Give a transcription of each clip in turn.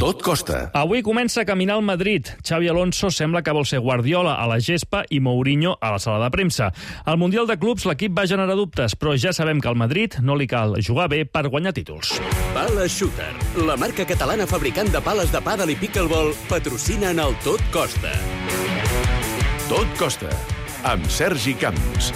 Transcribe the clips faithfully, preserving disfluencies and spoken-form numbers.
Tot costa. Avui comença a caminar el Madrid. Xavi Alonso sembla que vol ser Guardiola a la gespa i Mourinho a la sala de premsa. Al Mundial de Clubs l'equip va generar dubtes, però ja sabem que al Madrid no li cal jugar bé per guanyar títols. Pala Shooter, la marca catalana fabricant de pales de pàdel i pickleball, patrocina en el Tot Costa. Tot costa, amb Sergi Camps.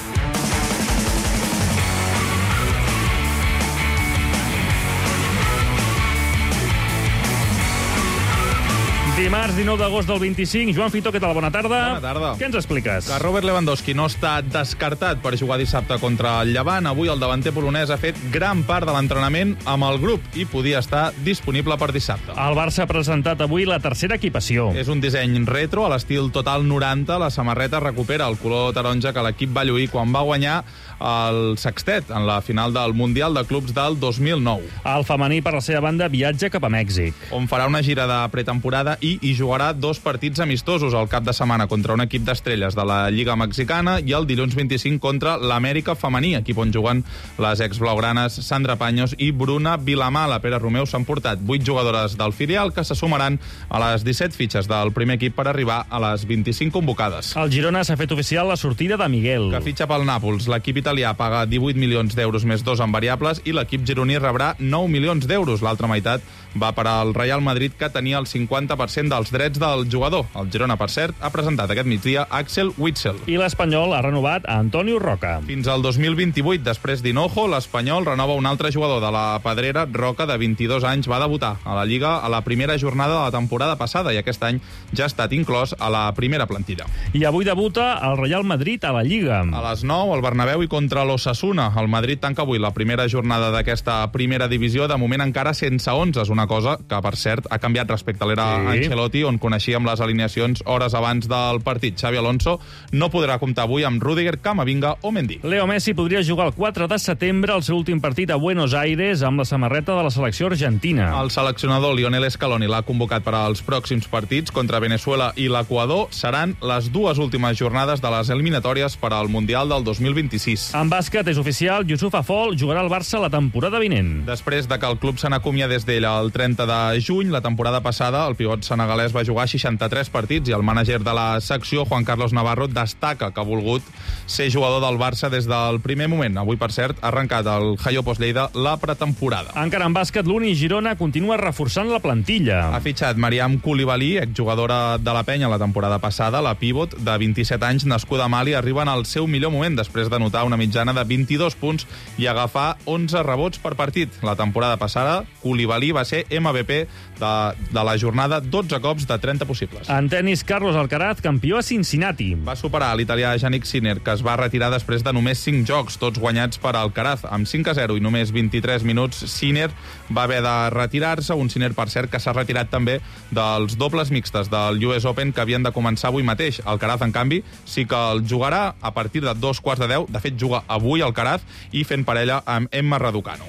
Dimarts dinou d'agost del vint-i-cinc. Joan Fitó, què tal? Bona tarda. Bona tarda. Què ens expliques? Que Robert Lewandowski no està descartat per jugar dissabte contra el Llevant. Avui el davanter polonès ha fet gran part de l'entrenament amb el grup i podia estar disponible per dissabte. El Barça ha presentat avui la tercera equipació. És un disseny retro a l'estil Total noranta. La samarreta recupera el color taronja que l'equip va lluir quan va guanyar el sextet en la final del Mundial de Clubs del dos mil nou. El femení, per la seva banda, viatja cap a Mèxic, on farà una gira de pretemporada i hi jugarà dos partits amistosos al cap de setmana contra un equip d'estrelles de la Lliga Mexicana i el dilluns vint-i-cinc contra l'Amèrica femení, equip on juguen les exblaugranes Sandra Paños i Bruna Vilamà. La Pere Romeu s'han portat vuit jugadores del filial que se sumaran a les disset fitxes del primer equip per arribar a les vint-i-cinc convocades. El Girona s'ha fet oficial la sortida de Miguel, que fitxa pel Nàpols. L'equip italià paga divuit milions d'euros més dos en variables i l'equip gironí rebrà nou milions d'euros. L'altra meitat va per al Real Madrid, que tenia el cinquanta per cent dels drets del jugador. El Girona, per cert, ha presentat aquest migdia Axel Witsel. I l'Espanyol ha renovat a Antonio Roca. Fins al dos mil vint-i-vuit, després d'Hinojo, l'Espanyol renova un altre jugador de la Pedrera. Roca, de vint-i-dos anys, va debutar a la Lliga a la primera jornada de la temporada passada i aquest any ja ha estat inclòs a la primera plantilla. I avui debuta el Real Madrid a la Lliga. A les nou, al Bernabéu i contra l'Osasuna. El Madrid tanca avui la primera jornada d'aquesta primera divisió, de moment encara sense onze, és una cosa que, per cert, ha canviat respecte a l'era sí. Ancelotti, on coneixíem les alineacions hores abans del partit. Xavi Alonso no podrà comptar avui amb Rüdiger, Camavinga o Mendy. Leo Messi podria jugar el quatre de setembre el seu últim partit a Buenos Aires amb la samarreta de la selecció argentina. El seleccionador Lionel Scaloni l'ha convocat per als pròxims partits contra Venezuela i l'Equador. Seran les dues últimes jornades de les eliminatòries per al Mundial del dos mil vint-i-sis. En bàsquet és oficial, Youssouf Afol jugarà al Barça la temporada vinent. Després de que el club se n'acomiadés d'ell el trenta de juny, la temporada passada, el pivot senegalès va jugar seixanta-tres partits i el mànager de la secció, Juan Carlos Navarro, destaca que ha volgut ser jugador del Barça des del primer moment. Avui, per cert, ha arrencat el Hayo Postleida la pretemporada. Encara en bàsquet, l'Uni Girona continua reforçant la plantilla. Ha fitxat Mariam Koulibaly, exjugadora de la Penya la temporada passada. La pivot, de vint-i-set anys, nascuda a Mali, arriba en el seu millor moment després d'anotar una mitjana de vint-i-dos punts i agafar onze rebots per partit. La temporada passada, Koulibaly va ser M V P de, de la jornada, dotze cops de trenta possibles. En tenis, Carlos Alcaraz, campió a Cincinnati. Va superar l'italià Jannik Sinner, que es va retirar després de només cinc jocs, tots guanyats per Alcaraz. Amb cinc a zero i només vint-i-tres minuts, Sinner va haver de retirar-se. Un Sinner, per cert, que s'ha retirat també dels dobles mixtes del U S Open que havien de començar avui mateix. Alcaraz, en canvi, sí que el jugarà a partir de dos quarts de deu. De fet, juga avui Alcaraz i fent parella amb Emma Raducanu.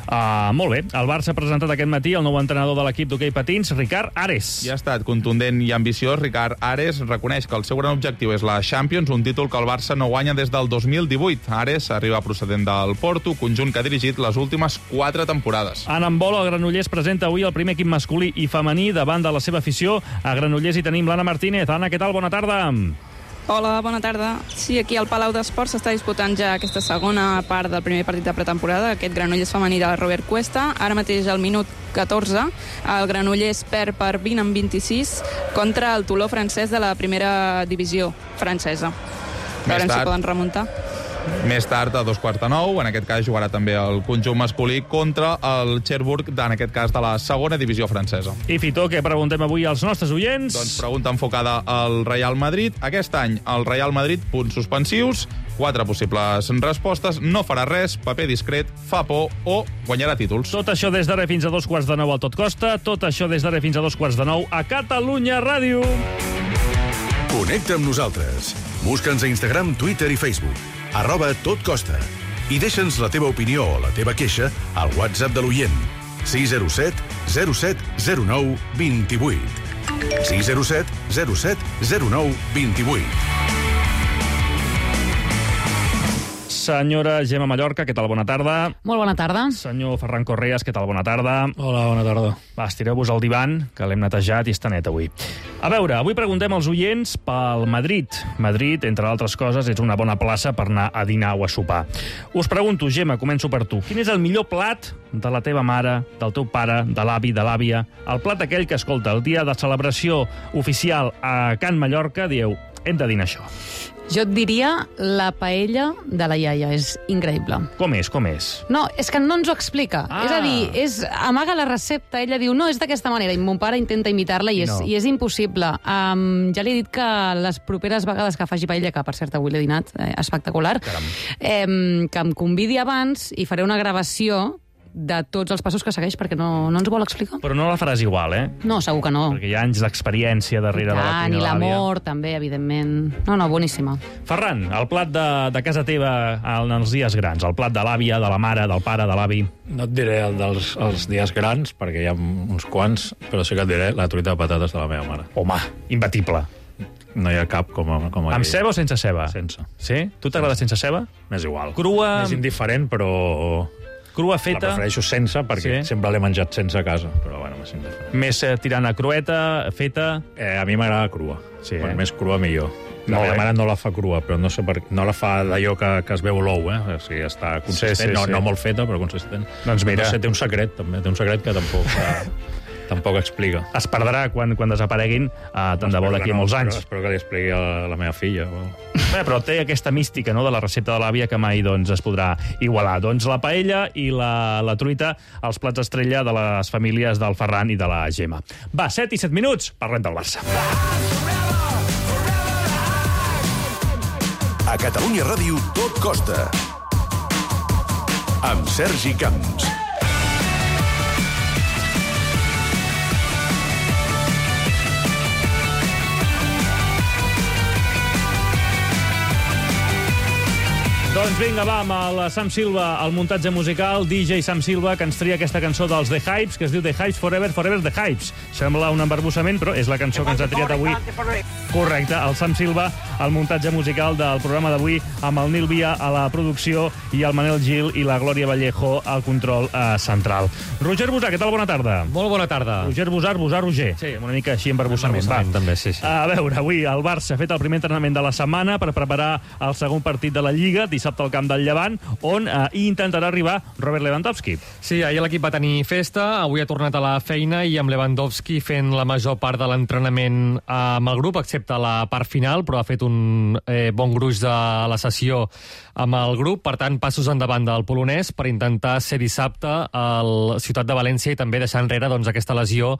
Uh, molt bé. El Barça ha presentat aquest matí el nou entrenador de l'equip d'hoquei patins, Ricard Ares. I ha estat contundent i ambiciós. Ricard Ares reconeix que el seu gran objectiu és la Champions, un títol que el Barça no guanya des del dos mil divuit. Ares arriba procedent del Porto, conjunt que ha dirigit les últimes quatre temporades. En handbol, el Granollers presenta avui el primer equip masculí i femení davant de la seva afició. A Granollers hi tenim l'Anna Martínez. Anna, què tal? Bona tarda. Hola, bona tarda. Sí, aquí al Palau d'Esports s'està disputant ja aquesta segona part del primer partit de pretemporada, aquest Granollers femení de Robert Cuesta. Ara mateix, al minut catorze, el Granollers perd per vint en vint-i-sis contra el Toló francès de la primera divisió francesa. Veurem si poden remuntar. Més tard, a dos quarts de nou, en aquest cas jugarà també el conjunt masculí contra el Cherbourg, en aquest cas de la segona divisió francesa. I Fitó, què preguntem avui als nostres oients? Doncs pregunta enfocada al Real Madrid. Aquest any, el Real Madrid, punts suspensius, quatre possibles respostes, no farà res, paper discret, fa por o guanyarà títols. Tot això des d'ara fins a dos quarts de nou al Tot Costa, tot això des d'ara fins a dos quarts de nou a Catalunya Ràdio. Connecta amb nosaltres. Busca'ns a Instagram, Twitter i Facebook. arroba Tot Costa. I deixa'ns la teva opinió o la teva queixa al WhatsApp de l'oient. sis zero set zero set zero nou dos vuit. sis zero set zero set zero nou dos vuit. Senyora Gemma Mallorca, què tal? Bona tarda. Molt bona tarda. Senyor Ferran Correas, què tal? Bona tarda. Hola, bona tarda. Va, estireu-vos al divan, que l'hem netejat i està net avui. A veure, avui preguntem als oients pel Madrid. Madrid, entre altres coses, és una bona plaça per anar a dinar o a sopar. Us pregunto, Gemma, començo per tu. Quin és el millor plat de la teva mare, del teu pare, de l'avi, de l'àvia? El plat aquell que, escolta, el dia de celebració oficial a Can Mallorca, dieu, hem de dinar això. Jo et diria la paella de la iaia. És increïble. Com és, com és? No, és que no ens ho explica. Ah. És a dir, és, amaga la recepta, ella diu, no, és d'aquesta manera, i mon pare intenta imitar-la i és, No. i és impossible. Um, ja li he dit que les properes vegades que faci paella, que per cert avui l'he dinat, eh, espectacular, eh, que em convidi abans i faré una gravació de tots els passos que segueix, perquè no, no ens ho vol explicar. Però no la faràs igual, eh? No, segur que no. Perquè hi ha anys d'experiència darrere de la Tant, cuina i de l'àvia. l'amor, també, evidentment. No, no, boníssima. Ferran, el plat de, de casa teva en els dies grans, el plat de l'àvia, de la mare, del pare, de l'avi. No et diré el dels els dies grans, perquè hi ha uns quants, però sí que et diré la truita de patates de la meva mare. Home, imbatible. No hi ha cap com a... Com a Amb ceba o sense ceba? Sense. Sí? Tu t'agrada sense ceba? M'és igual. Crua- És indiferent, però... Crua La feta, prefereixo sense, perquè Sí? sempre l'he menjat sense a casa. Però bueno, m'és indiferent. més eh, tirant a crueta, feta... Eh, a mi m'agrada crua. Sí, Quan eh? més crua, millor. La Molt meva bé. mare no la fa crua, però no sé per no la fa d'allò que, que es veu l'ou, eh? O sigui, està consistent, Sí, sí, no, sí. no molt feta, però consistent. Doncs mira. No sé, té un secret, també. Té un secret que tampoc, eh, tampoc explica. Es perdrà quan, quan desapareguin, eh, tant de bo d'aquí a molts anys. Espero, espero que li expliqui a la meva filla. O... Bé, però té aquesta mística, no?, de la recepta de l'àvia que mai doncs, es podrà igualar. Doncs la paella i la, la truita, els plats estrella de les famílies del Ferran i de la Gemma. Va, set i set minuts, parlem del Barça. A Catalunya Ràdio, tot costa. Amb Sergi Camps. Doncs vinga, va, amb el Sam Silva, el muntatge musical, D J Sam Silva, que ens tria aquesta cançó dels The Hypes, que es diu The Hypes Forever, Forever The Hypes. Sembla un embarbussament, però és la cançó que ens ha triat avui. Correcte, el Sam Silva, el muntatge musical del programa d'avui, amb el Nil Via a la producció i el Manel Gil i la Glòria Vallejo al control eh, central. Roger Busar, què tal? Bona tarda. Molt bona tarda. Roger Busar, Busar, Roger. Sí. Una mica així embarbussament. Embarbussament, Va. també, sí, sí. A veure, avui el Barça ha fet el primer entrenament de la setmana per preparar el segon partit de la Lliga, dissabte al camp del Llevant, on eh, hi intentarà arribar Robert Lewandowski. Sí, ahir l'equip va tenir festa, avui ha tornat a la feina i amb Lewandowski fent la major part de l'entrenament amb el grup, excepte la part final, però ha fet un eh, bon gruix de la sessió amb el grup. Per tant, passos endavant del polonès per intentar ser dissabte al Ciutat de València i també deixar enrere doncs, aquesta lesió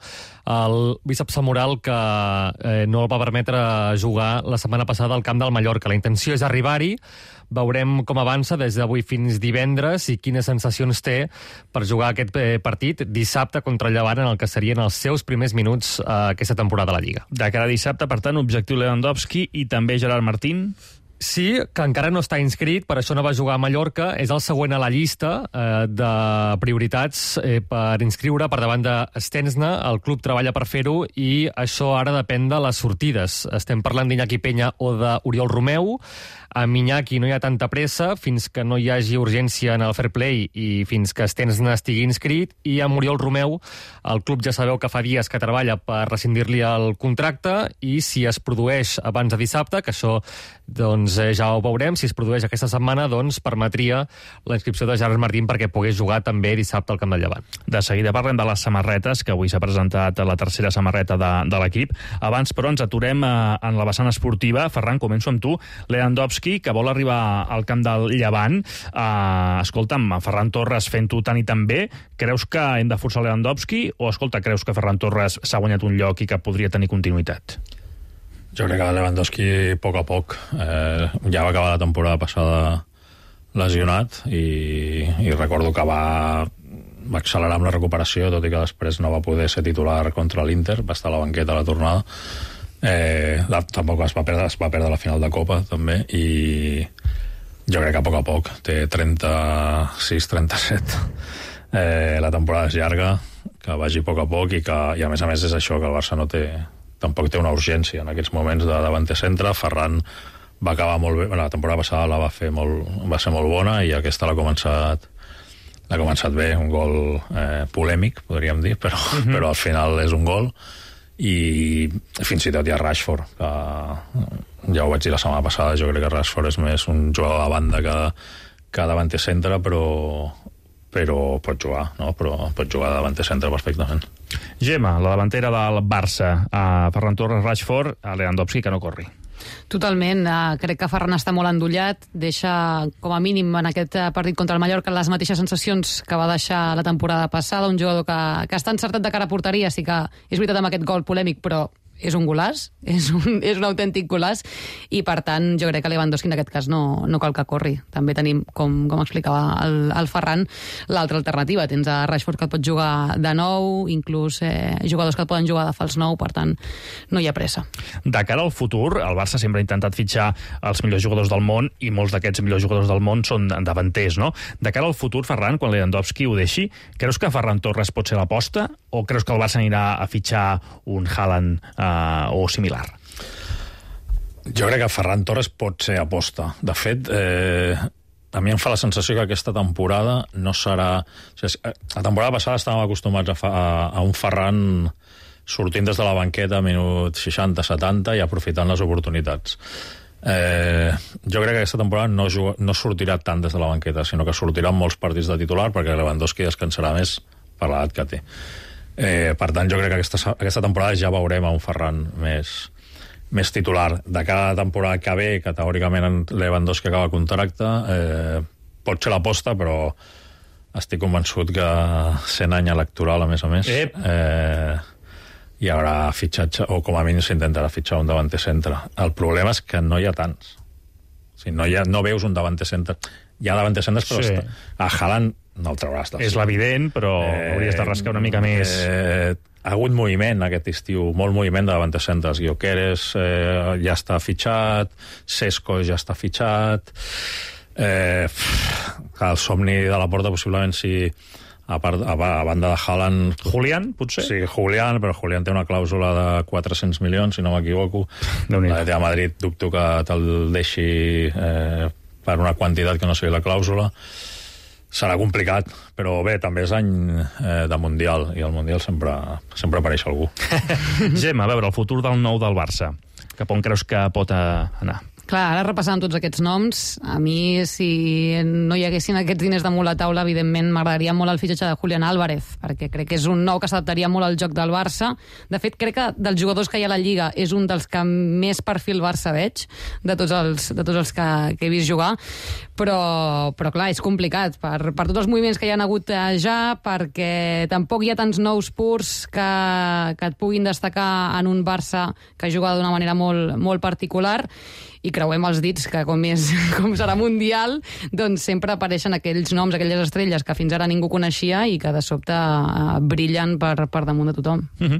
al bíceps femoral que eh, no el va permetre jugar la setmana passada al camp del Mallorca. La intenció és arribar-hi. Veurem com avança des d'avui fins divendres i quines sensacions té per jugar aquest partit dissabte contra el Llevant, en el que serien els seus primers minuts eh, aquesta temporada a la Lliga. De cara a dissabte, per tant, objectiu Lewandowski i també Gerard Martín. Sí, que encara no està inscrit, per això no va jugar a Mallorca. És el següent a la llista eh, de prioritats eh, per inscriure per davant de Stensna. El club treballa per fer-ho i això ara depèn de les sortides. Estem parlant d'Iñaki Peña o d'Oriol Romeu. A Iñaki no hi ha tanta pressa fins que no hi hagi urgència en el fair play i fins que Stensna estigui inscrit, i amb Oriol Romeu el club ja sabeu que fa dies que treballa per rescindir-li el contracte, i si es produeix abans de dissabte, que això doncs eh, ja ho veurem, si es produeix aquesta setmana, doncs permetria la inscripció de Gerard Martín perquè pogués jugar també dissabte al camp del Llevant. De seguida parlem de les samarretes, que avui s'ha presentat la tercera samarreta de, de l'equip. Abans, però, ens aturem eh, en la vessant esportiva. Ferran, començo amb tu. Lewandowski, que vol arribar al camp del Llevant. Uh, escolta'm, Ferran Torres fent-ho tant i tan bé, creus que hem de forçar Lewandowski o, escolta, creus que Ferran Torres s'ha guanyat un lloc i que podria tenir continuïtat? Jo crec que Lewandowski, a poc a poc, eh, ja va acabar la temporada passada lesionat i, i recordo que va, va accelerar amb la recuperació, tot i que després no va poder ser titular contra l'Inter, va estar a la banqueta a la tornada. Eh, la, tampoc es va, perdre, es va perdre la final de Copa també, i jo crec que a poc a poc té trenta-sis trenta-set, eh, la temporada és llarga, que vagi a poc a poc, i, que, i a més a més és això, que el Barça no té, tampoc té una urgència en aquests moments de davanter centre. Ferran va acabar molt bé. Bueno, la temporada passada la va fer molt, va ser molt bona i aquesta l'ha començat l'ha començat bé, un gol eh, polèmic, podríem dir, però, uh-huh. però al final és un gol i fins i tot hi ha Rashford, que ja ho vaig dir la setmana passada, jo crec que Rashford és més un jugador de banda que, que davanter centre, però, però pot jugar, no? Però pot jugar de davanter centre perfectament. Gemma, la davantera del Barça, a Ferran Torres, Rashford, a Lewandowski, que no corri. Totalment. Uh, crec que Ferran està molt endollat, deixa com a mínim en aquest partit contra el Mallorca les mateixes sensacions que va deixar la temporada passada, un jugador que, que està encertat de cara a porteria, sí que és veritat amb aquest gol polèmic, però és un golaç, és un, és un autèntic golaç, i per tant jo crec que Lewandowski en aquest cas no, no cal que corri. També tenim, com, com explicava el, el Ferran, l'altra alternativa. Tens a Rashford que et pot jugar de nou, inclús eh, jugadors que et poden jugar de fals nou, per tant no hi ha pressa. De cara al futur, el Barça sempre ha intentat fitxar els millors jugadors del món i molts d'aquests millors jugadors del món són davanters, no? De cara al futur, Ferran, quan Lewandowski ho deixi, creus que Ferran Torres pot ser l'aposta o creus que el Barça anirà a fitxar un Haaland eh, o similar? Jo crec que Ferran Torres pot ser aposta. De fet, eh, a mi em fa la sensació que aquesta temporada no serà... O sigui, la temporada passada estàvem acostumats a, fa, a, a un Ferran sortint des de la banqueta a minut seixanta setanta i aprofitant les oportunitats. Eh, jo crec que aquesta temporada no, juga, no sortirà tant des de la banqueta, sinó que sortirà en molts partits de titular perquè Lewandowski descansarà més per l'edat que té. Eh, per tant, jo crec que aquesta, aquesta temporada ja veurem a un Ferran més, més titular. De cada temporada que ve, que teòricament en Lewandowski acaba el contracte, eh, pot ser l'aposta, però estic convençut que sent any electoral, a més a més, eh, hi haurà fitxatge, o com a mínim s'intentarà fitxar un davanter centre. El problema és que no hi ha tants. O sigui, no, hi ha, no veus un davanter centre. Hi ha davanter centres, però sí. Està, a Haaland no el trauràs. És l'evident, però eh, hauries de rascar una mica més. Eh, ha hagut moviment aquest estiu, molt moviment de davanter centres. Gyökeres eh, ja està fitxat, Šeško ja està fitxat, eh, el somni de la Porta possiblement si... A, part, a, a banda de Haaland... Julián, potser? Sí, Julián, però Julián té una clàusula de quatre-cents milions, si no m'equivoco. La de Madrid dubto que te'l deixi eh, per una quantitat que no sigui la clàusula. Serà complicat, però bé, també és any eh, de Mundial, i al Mundial sempre, sempre apareix algú. Gemma, a veure, el futur del nou del Barça. Cap on creus que pot anar? Clar, ara repassant tots aquests noms, a mi, si no hi haguessin aquests diners damunt la taula, evidentment m'agradaria molt el fitxatge de Julián Álvarez, perquè crec que és un nou que s'adaptaria molt al joc del Barça. De fet, crec que dels jugadors que hi ha a la Lliga és un dels que més perfil Barça veig, de tots els, de tots els que, que he vist jugar, però, però clar, és complicat per, per tots els moviments que hi ha hagut ja, perquè tampoc hi ha tants nous purs que, que et puguin destacar en un Barça que juga d'una manera molt, molt particular, i creuem els dits que com, és, com serà Mundial, doncs sempre apareixen aquells noms, aquelles estrelles que fins ara ningú coneixia i que de sobte uh, brillen per, per damunt de tothom. Uh-huh.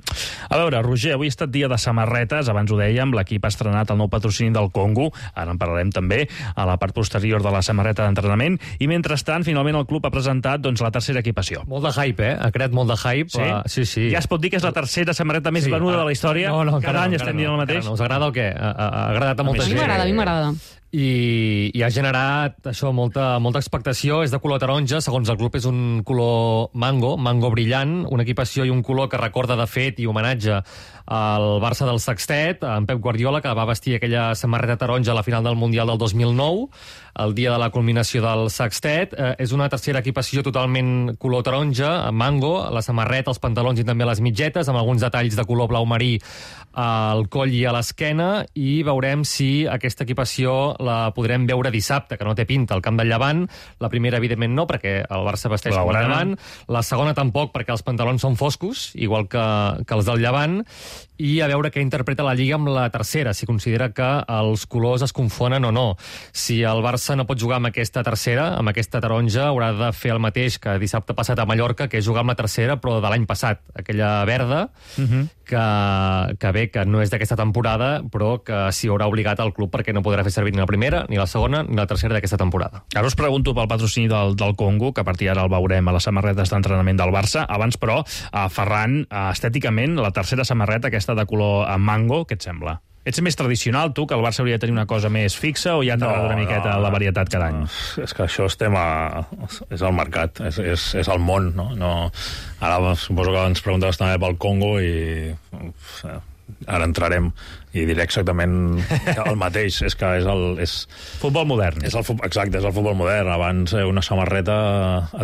A veure, Roger, avui ha estat dia de samarretes, abans ho dèiem, l'equip ha estrenat el nou patrocini del Congo, ara en parlarem també a la part posterior de la samarreta d'entrenament, i mentrestant, finalment el club ha presentat doncs, la tercera equipació. Molt de hype, eh? Ha creat molt de hype. Sí? Uh, sí, sí. Ja es pot dir que és la tercera samarreta més sí, venuda de la història? No, no, cada any no, estem no, dient el mateix? No. Us agrada o què? Ha, ha agradat a molta gent. A mi m'agrada. I, i ha generat això molta, molta expectació. És de color taronja, segons el club és un color mango, mango brillant, una equipació i un color que recorda de fet i homenatge al Barça del Sextet, en Pep Guardiola, que va vestir aquella samarreta taronja a la final del Mundial del dos mil nou, el dia de la culminació del Sextet. Eh, és una tercera equipació totalment color taronja, mango, la samarreta, els pantalons i també les mitgetes, amb alguns detalls de color blau marí al coll i a l'esquena, i veurem si aquesta equipació la podrem veure dissabte, que no té pinta, al camp del Llevant. La primera, evidentment, no, perquè el Barça vesteix com el Llevant. La segona tampoc, perquè els pantalons són foscos, igual que, que els del Llevant. I a veure què interpreta la Lliga amb la tercera, si considera que els colors es confonen o no. Si el Barça no pot jugar amb aquesta tercera, amb aquesta taronja, haurà de fer el mateix que dissabte passat a Mallorca, que és jugar amb la tercera, però de l'any passat, aquella verda, uh-huh. que, que bé, que no és d'aquesta temporada, però que s'hi haurà obligat al club perquè no podrà fer servir ni la primera, ni la segona, ni la tercera d'aquesta temporada. Ara us pregunto pel patrocini del, del Congo, que a partir d'ara el veurem a les samarretes d'entrenament del Barça. Abans, però, a Ferran, estèticament, la tercera samarreta, aquesta de color mango, què et sembla? Ets més tradicional, tu, que el Barça hauria de tenir una cosa més fixa, o ja t'agrada no, una miqueta no, la varietat cada any? No, és que això estem a... és el mercat, és, és, és el món, no? no? Ara suposo que ens preguntaves també pel Congo i... ara entrarem i diré exactament el mateix. És que és el... És, futbol modern. És el, exacte, és el futbol modern. Abans una samarreta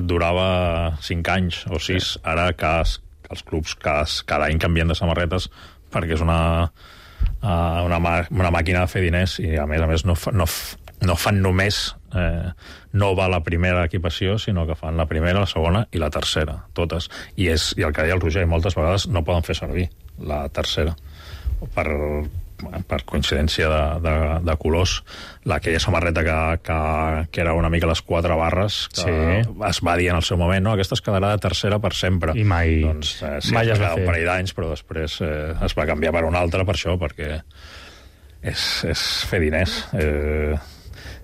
et durava cinc anys o sis. Sí. Ara cada, els clubs cada, cada any canvien de samarretes perquè és una... Uh, una, una màquina de fer diners i a més a més no, fa, no, no fan només eh, nova la primera equipació, sinó que fan la primera, la segona i la tercera, totes, i, és, i el que deia el Roger, moltes vegades no poden fer servir la tercera per, per coincidència de, de, de colors. Aquella samarreta que, que, que era una mica les quatre barres, que sí. Es va dir en el seu moment, no, aquesta es quedarà de tercera per sempre. I mai, doncs, eh, sí, mai es es va va quedar fer. un parell d'anys, però després eh, es va canviar per una altra per això, perquè és, és fer diners. Eh,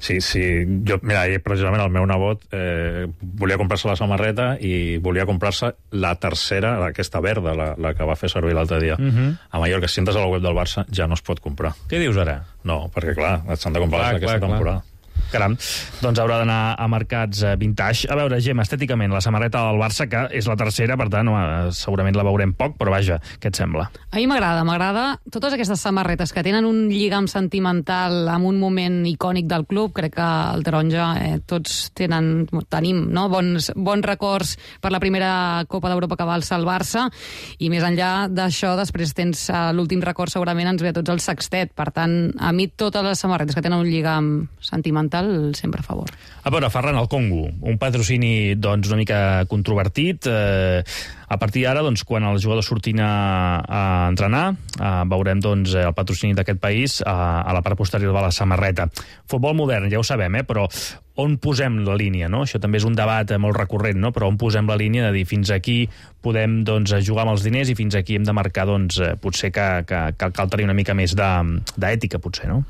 sí, sí, jo, mira, precisament el meu nebot eh, volia comprar-se la samarreta i volia comprar-se la tercera, aquesta verda, la, la que va fer servir l'altre dia. Uh-huh. A Mallorca, si entres a la web del Barça, ja no es pot comprar. Què dius ara? No, perquè clar, s'han de comprar clar, aquesta clar, temporada. Clar. Caram, doncs haurà d'anar a mercats eh, vintage. A veure, Gem, estèticament, la samarreta del Barça, que és la tercera, per tant, eh, segurament la veurem poc, però vaja, què et sembla? A mi m'agrada, m'agrada totes aquestes samarretes que tenen un lligam sentimental amb un moment icònic del club. Crec que el taronja eh, tots tenen, tenim no? bons, bons records per la primera Copa d'Europa que va alçar el Barça, i més enllà d'això, després tens eh, l'últim record, segurament ens ve a tots el sextet. Per tant, a mi totes les samarretes que tenen un lligam sentimental sempre a favor. A veure, Ferran, el Congo, un patrocini doncs, una mica controvertit. Eh, a partir d'ara, doncs, quan els jugadors surtin a, a entrenar, eh, veurem doncs, el patrocini d'aquest país a, a la part posterior de la samarreta. Futbol modern, ja ho sabem, eh, però on posem la línia, no? Això també és un debat molt recurrent, no? Però on posem la línia de dir fins aquí podem doncs, jugar amb els diners i fins aquí hem de marcar doncs, potser que, que, que cal tenir una mica més d'ètica, potser, no?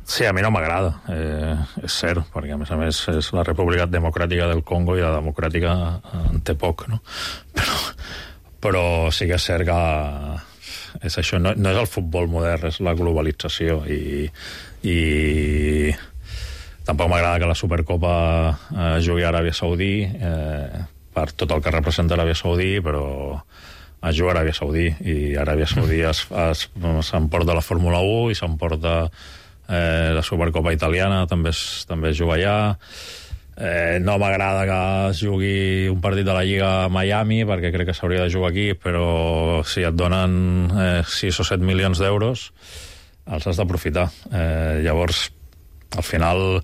Sí, a mi no m'agrada, eh, és cert, perquè a més a més és la República Democràtica del Congo i la democràtica en té poc, no? Però, però sí que és cert que és això, no, no és el futbol modern, és la globalització i, i tampoc m'agrada que la Supercopa eh, jugui a Aràbia Saudí eh, per tot el que representa Aràbia Saudí, però es juga a Aràbia Saudí i Aràbia Saudí es, es, s'emporta la Fórmula u i s'emporta Eh, la Supercopa italiana també es, també es juga allà. Eh, no m'agrada que es jugui un partit de la Lliga a Miami perquè crec que s'hauria de jugar aquí, però si et donen eh, sis o set milions d'euros els has d'aprofitar. Eh, llavors, al final,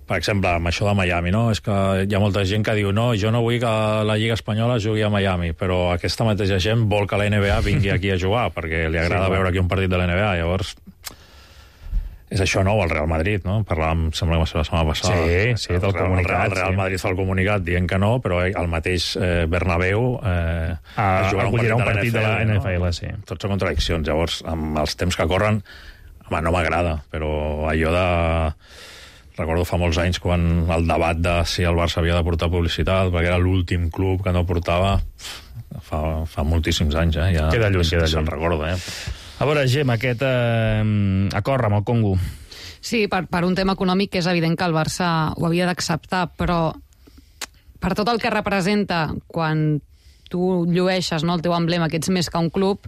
per exemple, amb això de Miami, no? És que hi ha molta gent que diu no, jo no vull que la Lliga Espanyola jugui a Miami, però aquesta mateixa gent vol que la N B A vingui aquí a jugar perquè li agrada sí, veure aquí un partit de la N B A. Llavors, és això nou, el Real Madrid, no? Parlàvem, sembla que va ser la setmana passada. Sí, sí, del comunicat. El Real Madrid fa el comunicat dient que no, però el mateix eh, Bernabéu eh, ah, es jugarà un partit, un partit de la N F L, no? Sí. Tots són contradiccions. Llavors, amb els temps que corren, home, no m'agrada, però allò de... Recordo fa molts anys quan el debat de si el Barça havia de portar publicitat, perquè era l'últim club que no portava, fa, fa moltíssims anys, eh? Ja, queda lluny, queda lluny. Se'n recorda, eh? A veure, Gem, aquest eh, acord amb el Congo. Sí, per, per un tema econòmic que és evident que el Barça ho havia d'acceptar, però per tot el que representa quan tu llueixes, no, el teu emblema, que ets més que un club,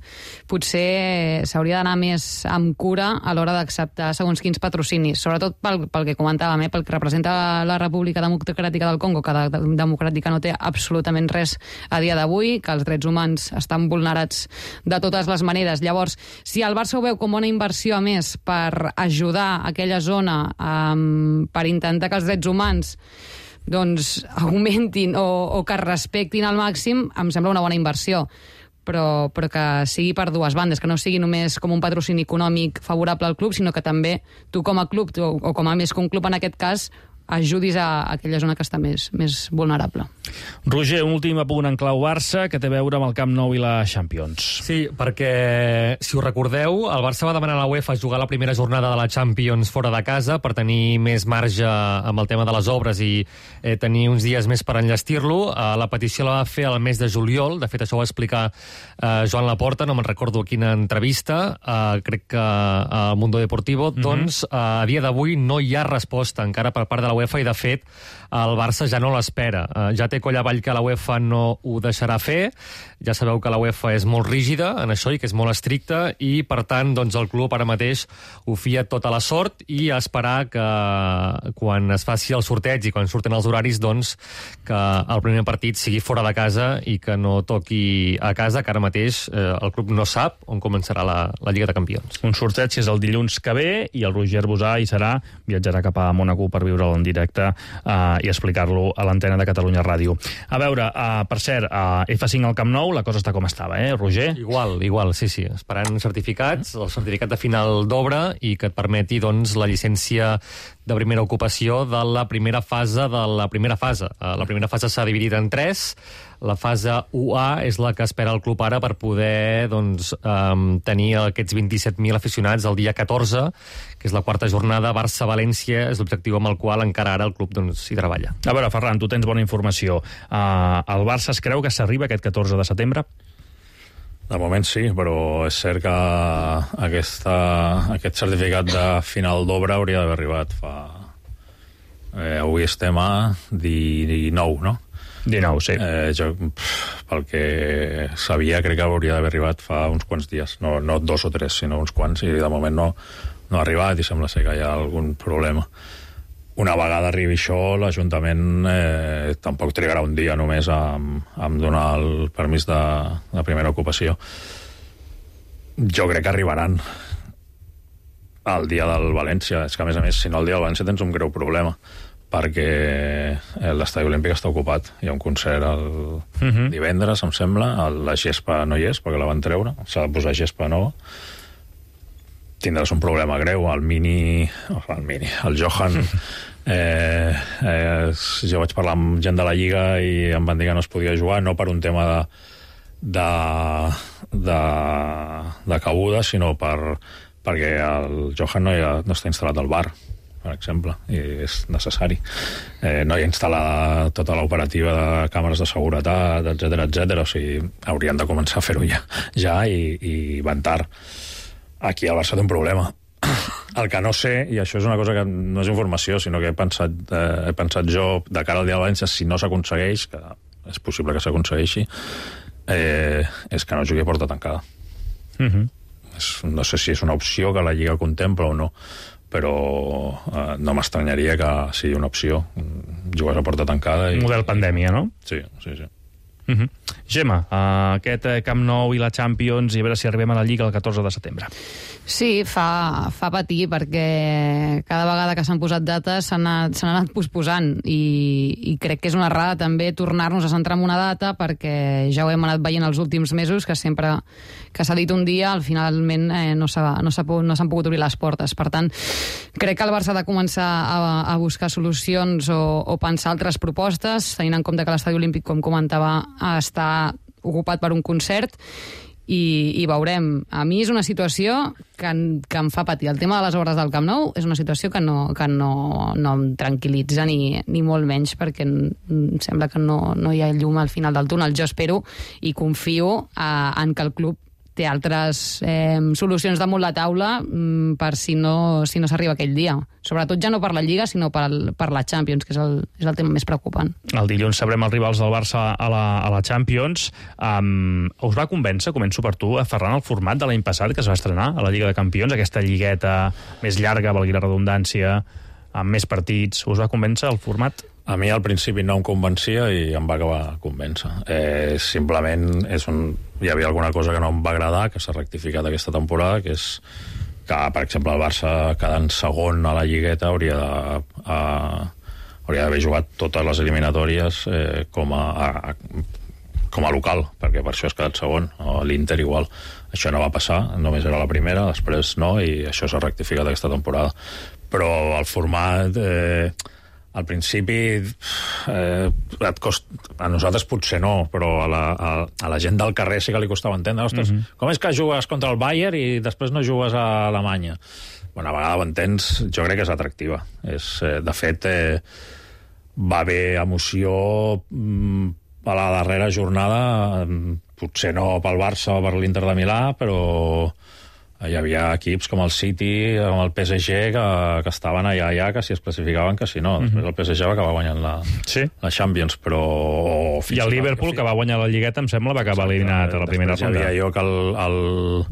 potser s'hauria d'anar més amb cura a l'hora d'acceptar segons quins patrocinis, sobretot pel, pel que comentàvem, eh, pel que representa la República Democràtica del Congo, que de, de, democràtica no té absolutament res a dia d'avui, que els drets humans estan vulnerats de totes les maneres. Llavors, si el Barça ho veu com una inversió a més per ajudar aquella zona, um, per intentar que els drets humans doncs augmentin o, o que es respectin al màxim, em sembla una bona inversió, però, però que sigui per dues bandes, que no sigui només com un patrocini econòmic favorable al club, sinó que també tu com a club, tu, o com a més que un club en aquest cas, ajudis a aquella zona que està més, més vulnerable. Roger, un últim apunt en clau Barça que té a veure amb el Camp Nou i la Champions. Sí, perquè, si us recordeu, el Barça va demanar a la UEFA jugar la primera jornada de la Champions fora de casa per tenir més marge amb el tema de les obres i eh, tenir uns dies més per enllestir-lo. Eh, la petició la va fer el mes de juliol, de fet això ho va explicar eh, Joan Laporta, no me'n recordo a quina entrevista, eh, crec que al Mundo Deportivo, mm-hmm. doncs eh, a dia d'avui no hi ha resposta encara per part de la UEFA i, de fet, el Barça ja no l'espera. Uh, ja té coll avall que la UEFA no ho deixarà fer. Ja sabeu que la UEFA és molt rígida en això i que és molt estricta i, per tant, doncs, el club ara mateix ho fia tota la sort i a esperar que quan es faci el sorteig i quan surten els horaris, doncs, que el primer partit sigui fora de casa i que no toqui a casa, que ara mateix eh, el club no sap on començarà la, la Lliga de Campions. Un sorteig és el dilluns que ve i el Roger Bosà hi serà, viatjarà cap a Mònaco per viure'l en directe eh, i explicar-lo a l'antena de Catalunya Ràdio. A veure, uh, per cert, a uh, F cinc al Camp Nou la cosa està com estava, eh, Roger? Igual, igual, sí, sí. Esperant certificats, el certificat de final d'obra i que et permeti, doncs, la llicència de primera ocupació de la primera fase de la primera fase. Uh, la primera fase s'ha dividit en tres. La fase u A és la que espera el club ara per poder, doncs, um, tenir aquests vint-i-set mil aficionats el dia catorze, que és la quarta jornada. Barça-València és l'objectiu amb el qual encara ara el club, doncs, hi treballa. A veure, Ferran, tu tens bona informació. Uh, el Barça es creu que s'arriba aquest catorze de setembre? De moment sí, però és cert que aquesta, aquest certificat de final d'obra hauria d'haver arribat fa... Eh, avui estem a dinou, no? dinou, sí. Eh, jo, pel que sabia, crec que hauria d'haver arribat fa uns quants dies. No, no dos o tres, sinó uns quants, i de moment no, no ha arribat i sembla ser que hi ha algun problema. Una vegada arribi això, l'Ajuntament eh, tampoc trigarà un dia només a, a donar el permís de, de primera ocupació. Jo crec que arribaran el dia del València. És que, a més a més, si no el dia del València tens un greu problema, perquè l'estadi olímpic està ocupat. Hi ha un concert el uh-huh. divendres, em sembla. La gespa no hi és, perquè la van treure. S'ha de posar gespa nova. Tindràs un problema greu. El Mini... El Mini... El Johan... Eh, eh, jo vaig parlar amb gent de la Lliga i em van dir que no es podia jugar, no per un tema de de, de, de cabuda, sinó per, perquè el Johan no, ha, no està instal·lat al bar, per exemple, i és necessari. Eh, no hi ha instal·lada tota l'operativa de càmeres de seguretat, etcètera, etcètera. O sigui, haurien de començar a fer-ho ja, ja i, i van tard. Aquí al Barça té un problema. El que no sé, i això és una cosa que no és informació, sinó que he pensat, eh, he pensat jo de cara al dia de València, si no s'aconsegueix, que és possible que s'aconsegueixi, eh, és que no jugui a porta tancada. Uh-huh. És, no sé si és una opció que la Lliga contempla o no, però eh, no m'estranyaria que sigui una opció. Jugues a porta tancada. I, model pandèmia, no? Sí, sí, sí. Uh-huh. Gemma, uh, aquest Camp Nou i la Champions, i a veure si arribem a la Lliga el catorze de setembre. Sí, fa, fa patir, perquè cada vegada que s'han posat dates s'han anat, s'han anat posposant, i, i crec que és una errada també tornar-nos a centrar en una data, perquè ja ho hem anat veient els últims mesos, que sempre que s'ha dit un dia, al finalment eh, no s'ha, no s'ha, no s'han pogut obrir les portes. Per tant, crec que el Barça ha de començar a, a buscar solucions o, o pensar altres propostes, tenint en compte que l'Estadi Olímpic, com comentava, està ocupat per un concert, i, i veurem. A mi és una situació que, que em fa patir. El tema de les obres del Camp Nou és una situació que no, que no, no em tranquil·litza ni, ni molt menys, perquè em sembla que no, no hi ha llum al final del túnel. Jo espero i confio eh, en que el club té altres eh, solucions damunt la taula mm, per si no, si no s'arriba aquell dia. Sobretot ja no per la Lliga, sinó per, per la Champions, que és el, és el tema més preocupant. El dilluns sabrem els rivals del Barça a la, a la Champions. Um, us va convèncer, començo per tu, a Ferran, el format de l'any passat que es va estrenar a la Lliga de Campions, aquesta lligueta més llarga, valgui la redundància, amb més partits. Us va convèncer el format? A mi al principi no em convencia i em va acabar convèncer. Eh, simplement és un... hi havia alguna cosa que no em va agradar, que s'ha rectificat aquesta temporada, que és que, per exemple, el Barça quedant segon a la lligueta hauria de, a, hauria d'haver jugat totes les eliminatòries eh, com, a, a, com a local, perquè per això has quedat segon. L'Inter igual. Això no va passar, només era la primera, després no, i això s'ha rectificat aquesta temporada. Però el format... Eh, al principi eh, et cost... a nosaltres potser no, però a la, a, a la gent del carrer sí que li costava entendre. Ostres, uh -huh. com és que jugues contra el Bayern i després no jugues a Alemanya? Bueno, a vegades ho entens, jo crec que és atractiva. És, eh, de fet, eh, va haver emoció mm, a la darrera jornada, potser no pel Barça o per l'Inter de Milà, però hi havia equips com el City, com el P S G, que, que estaven allà, allà, que si es classificaven, que si no. Després el P S G va acabar guanyant la, sí. la Champions, però... I el Liverpool, que, que va guanyar la Lligueta, em sembla, va acabar eliminat a la primera ronda. Després hi havia jo que el... el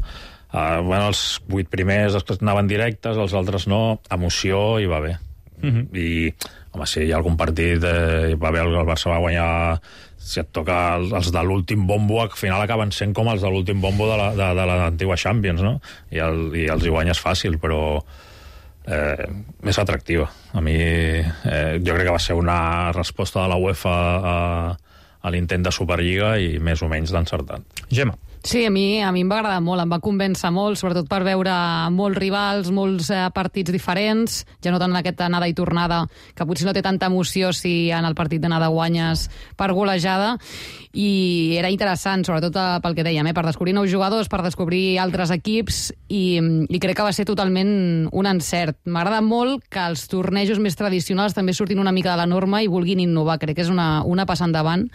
Uh, bueno, els vuit primers després anaven directes, els altres no, emoció i va bé. Uh -huh. I, home, si hi ha algun partit, eh, va bé, el Barça va guanyar, si et toca els, els de l'últim bombo, al final acaben sent com els de l'últim bombo de, la, de, de l'antiga Champions, no? I, el, i els hi guanyes fàcil, però eh, més atractiva. A mi, eh, jo crec que va ser una resposta de la UEFA a, a l'intent de Superliga i més o menys d'encertat. Gemma. Sí, a mi, a mi em va agradar molt, em va convèncer molt, sobretot per veure molts rivals, molts eh, partits diferents, ja no tant en aquesta anada i tornada, que potser no té tanta emoció si en el partit d'anada guanyes per golejada, i era interessant, sobretot eh, pel que dèiem, eh, per descobrir nous jugadors, per descobrir altres equips, i, i crec que va ser totalment un encert. M'agrada molt que els tornejos més tradicionals també surtin una mica de la norma i vulguin innovar, crec que és una, una passa endavant,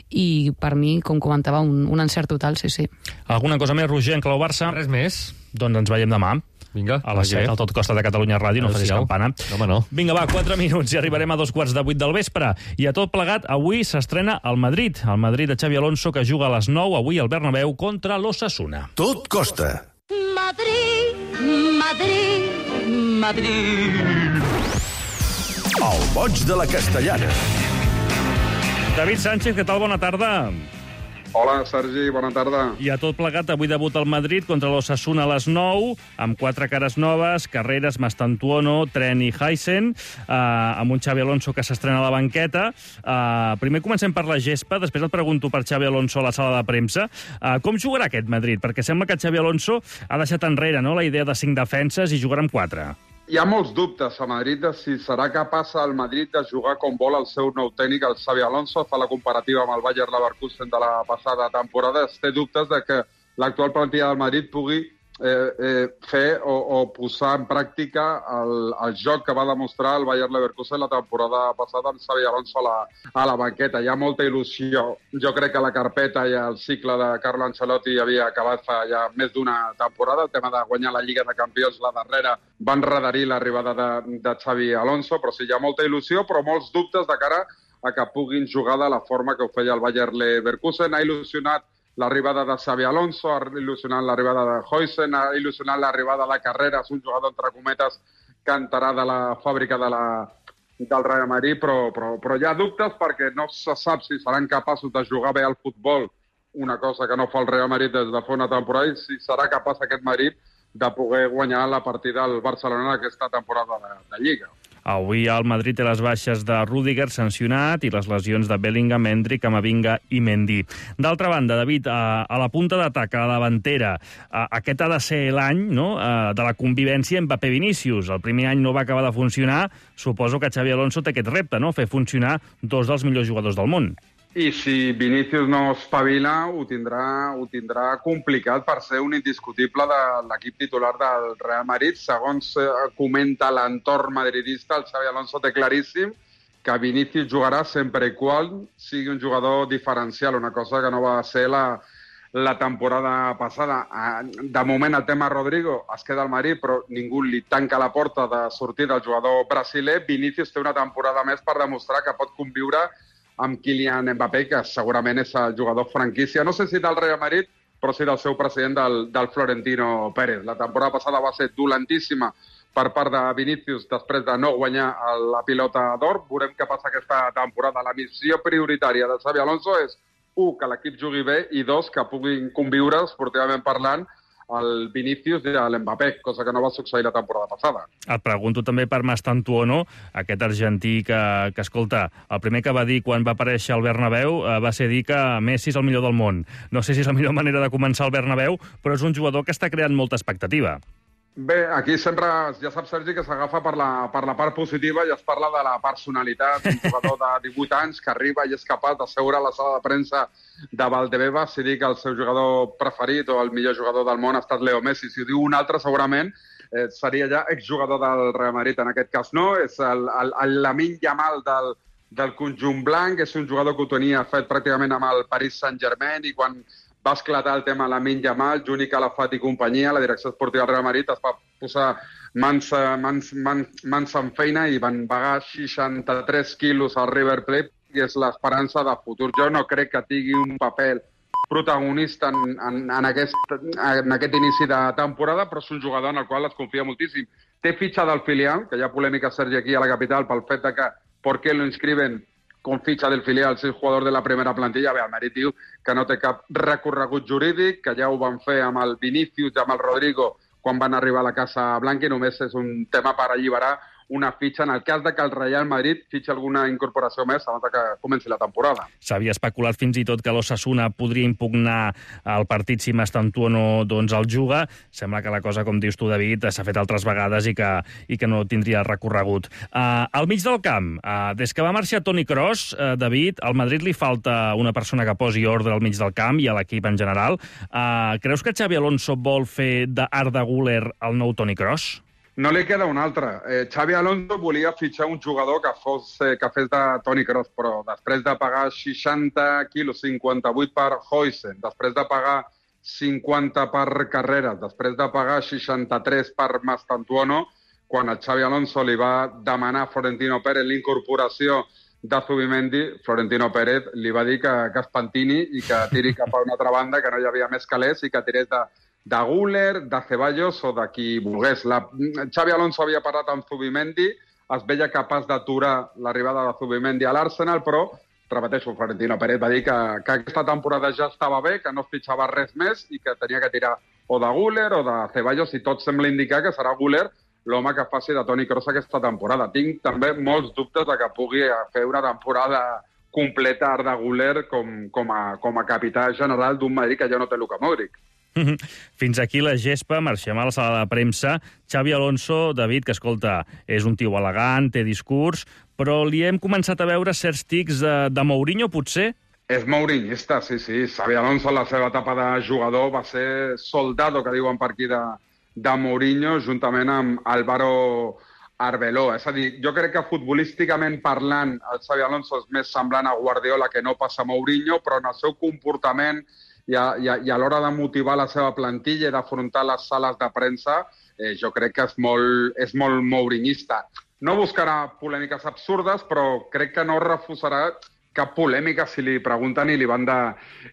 i per mi, com comentava, un, un encert total, sí, sí. Alguna cosa més, Roger, en clau Barça? Res més. Doncs ens veiem demà. Vinga. A les set, al Tot Costa de Catalunya Ràdio, no facis campana. No, home, no. Vinga, va, quatre minuts i arribarem a dos quarts de vuit del vespre. I a tot plegat, avui s'estrena el Madrid. El Madrid de Xavi Alonso, que juga a les nou, avui al Bernabéu, contra l'Osasuna. Tot costa. Madrid, Madrid, Madrid. El boig de la Castellana. David Sánchez, què tal? Bona tarda. Hola, Sergi, bona tarda. I a tot plegat, avui debut al Madrid contra l'Osasuna a les nou, amb quatre cares noves, Carreras, Mastantuono, Tren i Heisen, eh, amb un Xavi Alonso que s'estrena a la banqueta. Eh, primer comencem per la gespa, després et pregunto per Xavi Alonso a la sala de premsa. Eh, com jugarà aquest Madrid? Perquè sembla que Xavi Alonso ha deixat enrere, no?, la idea de cinc defenses i jugarà amb quatre. Hi ha molts dubtes a Madrid de si serà capaç el Madrid de jugar com vol el seu nou tècnic, el Xavi Alonso. Fa la comparativa amb el Bayer Leverkusen de la passada temporada. Es té dubtes de que l'actual plantilla del Madrid pugui eh, eh, fer o, o posar en pràctica el, el joc que va demostrar el Bayer Leverkusen la temporada passada amb Xavi Alonso a la, a la banqueta. Hi ha molta il·lusió. Jo crec que la carpeta i el cicle de Carlo Ancelotti havia acabat fa ja més d'una temporada. El tema de guanyar la Lliga de Campions, la darrera, van redarir l'arribada de, de Xavi Alonso, però sí, hi ha molta il·lusió, però molts dubtes de cara a que puguin jugar de la forma que ho feia el Bayer Leverkusen. Ha il·lusionat l'arribada de Xavi Alonso, ha il·lusionat l'arribada de Heisen, ha il·lusionat l'arribada de Carreras, un jugador, entre cometes, que entrarà de la fàbrica de la, del Real Madrid, però, però, però hi ha dubtes perquè no se sap si seran capaços de jugar bé al futbol, una cosa que no fa el Real Madrid des de fa una temporada, i si serà capaç aquest Madrid de poder guanyar la partida al Barcelona aquesta temporada de, de Lliga. Avui el Madrid té les baixes de Rüdiger, sancionat, i les lesions de Bellingham, Endrick, Camavinga i Mendy. D'altra banda, David, a, a la punta d'atac, a la davantera, a, aquest ha de ser l'any, no?, a, de la convivència Mbappé-Vinícius. El primer any no va acabar de funcionar. Suposo que Xavi Alonso té aquest repte, no?, fer funcionar dos dels millors jugadors del món. I si Vinícius no espavila, ho tindrà, ho tindrà complicat per ser un indiscutible de l'equip titular del Real Madrid. Segons comenta l'entorn madridista, el Xavi Alonso té claríssim que Vinícius jugarà sempre i quan sigui un jugador diferencial, una cosa que no va ser la, la temporada passada. De moment el tema Rodrigo es queda al Madrid, però ningú li tanca la porta de sortir del jugador brasiler. Vinícius té una temporada més per demostrar que pot conviure amb Kylian Mbappé, que segurament és el jugador franquícia, no sé si del Real Madrid, però sí del seu president, del, del Florentino Pérez. La temporada passada va ser dolentíssima per part de Vinícius després de no guanyar la pilota d'or. Veurem què passa aquesta temporada. La missió prioritària de Xavi Alonso és, u, que l'equip jugui bé, i dos, que puguin conviure, esportivament parlant, el Vinícius i l'Mbappé, cosa que no va succeir la temporada passada. Et pregunto també per Mastantuono, aquest argentí que, que, escolta, el primer que va dir quan va aparèixer al Bernabéu eh, va ser dir que Messi és el millor del món. No sé si és la millor manera de començar al Bernabéu, però és un jugador que està creant molta expectativa. Bé, aquí sempre, ja saps, Sergi, que s'agafa per, la, per la part positiva i es parla de la personalitat. Un jugador de divuit anys que arriba i és capaç de seure a la sala de premsa de Valdebebas si dir que el seu jugador preferit o el millor jugador del món ha estat Leo Messi. Si ho diu un altre, segurament eh, seria ja exjugador del Real Madrid. En aquest cas no, és el, el, el Lamine Yamal del, del conjunt blanc, és un jugador que ho tenia fet pràcticament amb el Paris Saint-Germain i quan va esclatar el tema Lamine Yamal, Juni Calafat i companyia, la direcció esportiva del Real Madrid es va posar mans, mans, mans, mans en feina i van pagar seixanta-tres quilos al River Plate, i és l'esperança de futur. Jo no crec que tingui un paper protagonista en, en, en, aquest, en aquest inici de temporada, però és un jugador en el qual es confia moltíssim. Té fitxa del filial, que hi ha polèmica, Sergi, aquí a la capital, pel fet de que per què lo inscriben con fitxa del filial, si és jugador de la primera plantilla. Bé, el Madrid diu que no té cap recorregut jurídic, que ja ho van fer amb el Vinícius i amb el Rodrigo quan van arribar a la Casa Blanca i només és un tema per alliberar una fitxa en el cas de que el Real Madrid fitxa alguna incorporació més abans que comenci la temporada. S'havia especulat fins i tot que l'Osasuna podria impugnar el partit si Mastantuono doncs, el juga. Sembla que la cosa, com dius tu, David, s'ha fet altres vegades i que, i que no tindria recorregut. Uh, al mig del camp, uh, des que va marxar Toni Kroos, uh, David, al Madrid li falta una persona que posi ordre al mig del camp i a l'equip en general. Uh, creus que Xabi Alonso vol fer d'Arda Güler el nou Toni Kroos? No li queda un altre. Eh, Xabi Alonso volia fitxar un jugador que, fos, eh, que fes de Toni Kroos, però després de pagar seixanta quilos, cinquanta-vuit per Huijsen, després de pagar cinquanta per Carreras, després de pagar seixanta-tres per Mastantuono, quan el Xabi Alonso li va demanar a Florentino Pérez l'incorporació de Zubimendi, Florentino Pérez li va dir que, que es pentini i que tiri cap a una altra banda, que no hi havia més calés i que tirés de de Güler, de Ceballos o de qui volgués. La... Xabi Alonso havia parlat amb Zubimendi, es veia capaç d'aturar l'arribada de Zubimendi a l'Arsenal, però, repeteixo, Florentino Pérez va dir que, que aquesta temporada ja estava bé, que no es fitxava res més i que tenia que tirar o de Güler o de Ceballos, i tot sembla indicar que serà Güler l'home que faci de Toni Kroos aquesta temporada. Tinc també molts dubtes de que pugui fer una temporada completa Arda Güler com, com, a, com a capità general d'un Madrid que ja no té Luka Modric. Fins aquí la gespa, marxem a la sala de premsa. Xabi Alonso, David, que escolta, és un tio elegant, té discurs, però li hem començat a veure certs tics de, de Mourinho, potser? És mourinhista, sí, sí. Xabi Alonso, la seva etapa de jugador, va ser soldado, que diuen per aquí, de, de Mourinho, juntament amb Álvaro Arbeloa. És a dir, jo crec que futbolísticament parlant, el Xabi Alonso és més semblant a Guardiola que no passa a Mourinho, però en el seu comportament i a, i a, i a l'hora de motivar la seva plantilla i d'afrontar les sales de premsa, eh, jo crec que és molt, és molt mourinhista. No buscarà polèmiques absurdes, però crec que no refusarà cap polèmica si li pregunten i li van de,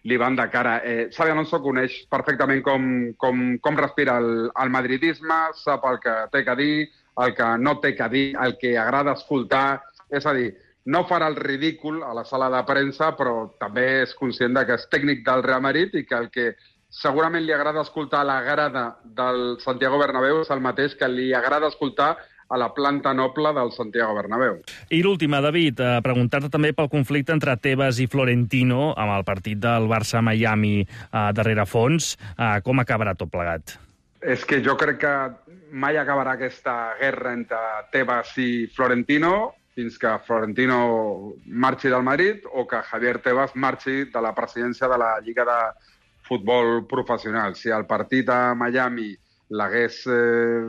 li van de cara. Eh, Xabi Alonso coneix perfectament com, com, com respira el, el madridisme, sap el que té que dir, el que no té que dir, el que agrada escoltar. És a dir, no farà el ridícul a la sala de premsa, però també és conscient de que és tècnic del Real Madrid i que el que segurament li agrada escoltar a la grada del Santiago Bernabéu és el mateix que li agrada escoltar a la planta noble del Santiago Bernabéu. I l'última, David, eh, preguntar-te també pel conflicte entre Tebas i Florentino amb el partit del Barça-Miami eh, darrere fons. Eh, com acabarà tot plegat? És que jo crec que mai acabarà aquesta guerra entre Tebas i Florentino fins que Florentino marxi del Madrid o que Javier Tebas marxi de la presidència de la Lliga de Futbol Professional. Si el partit a Miami l'hagués eh,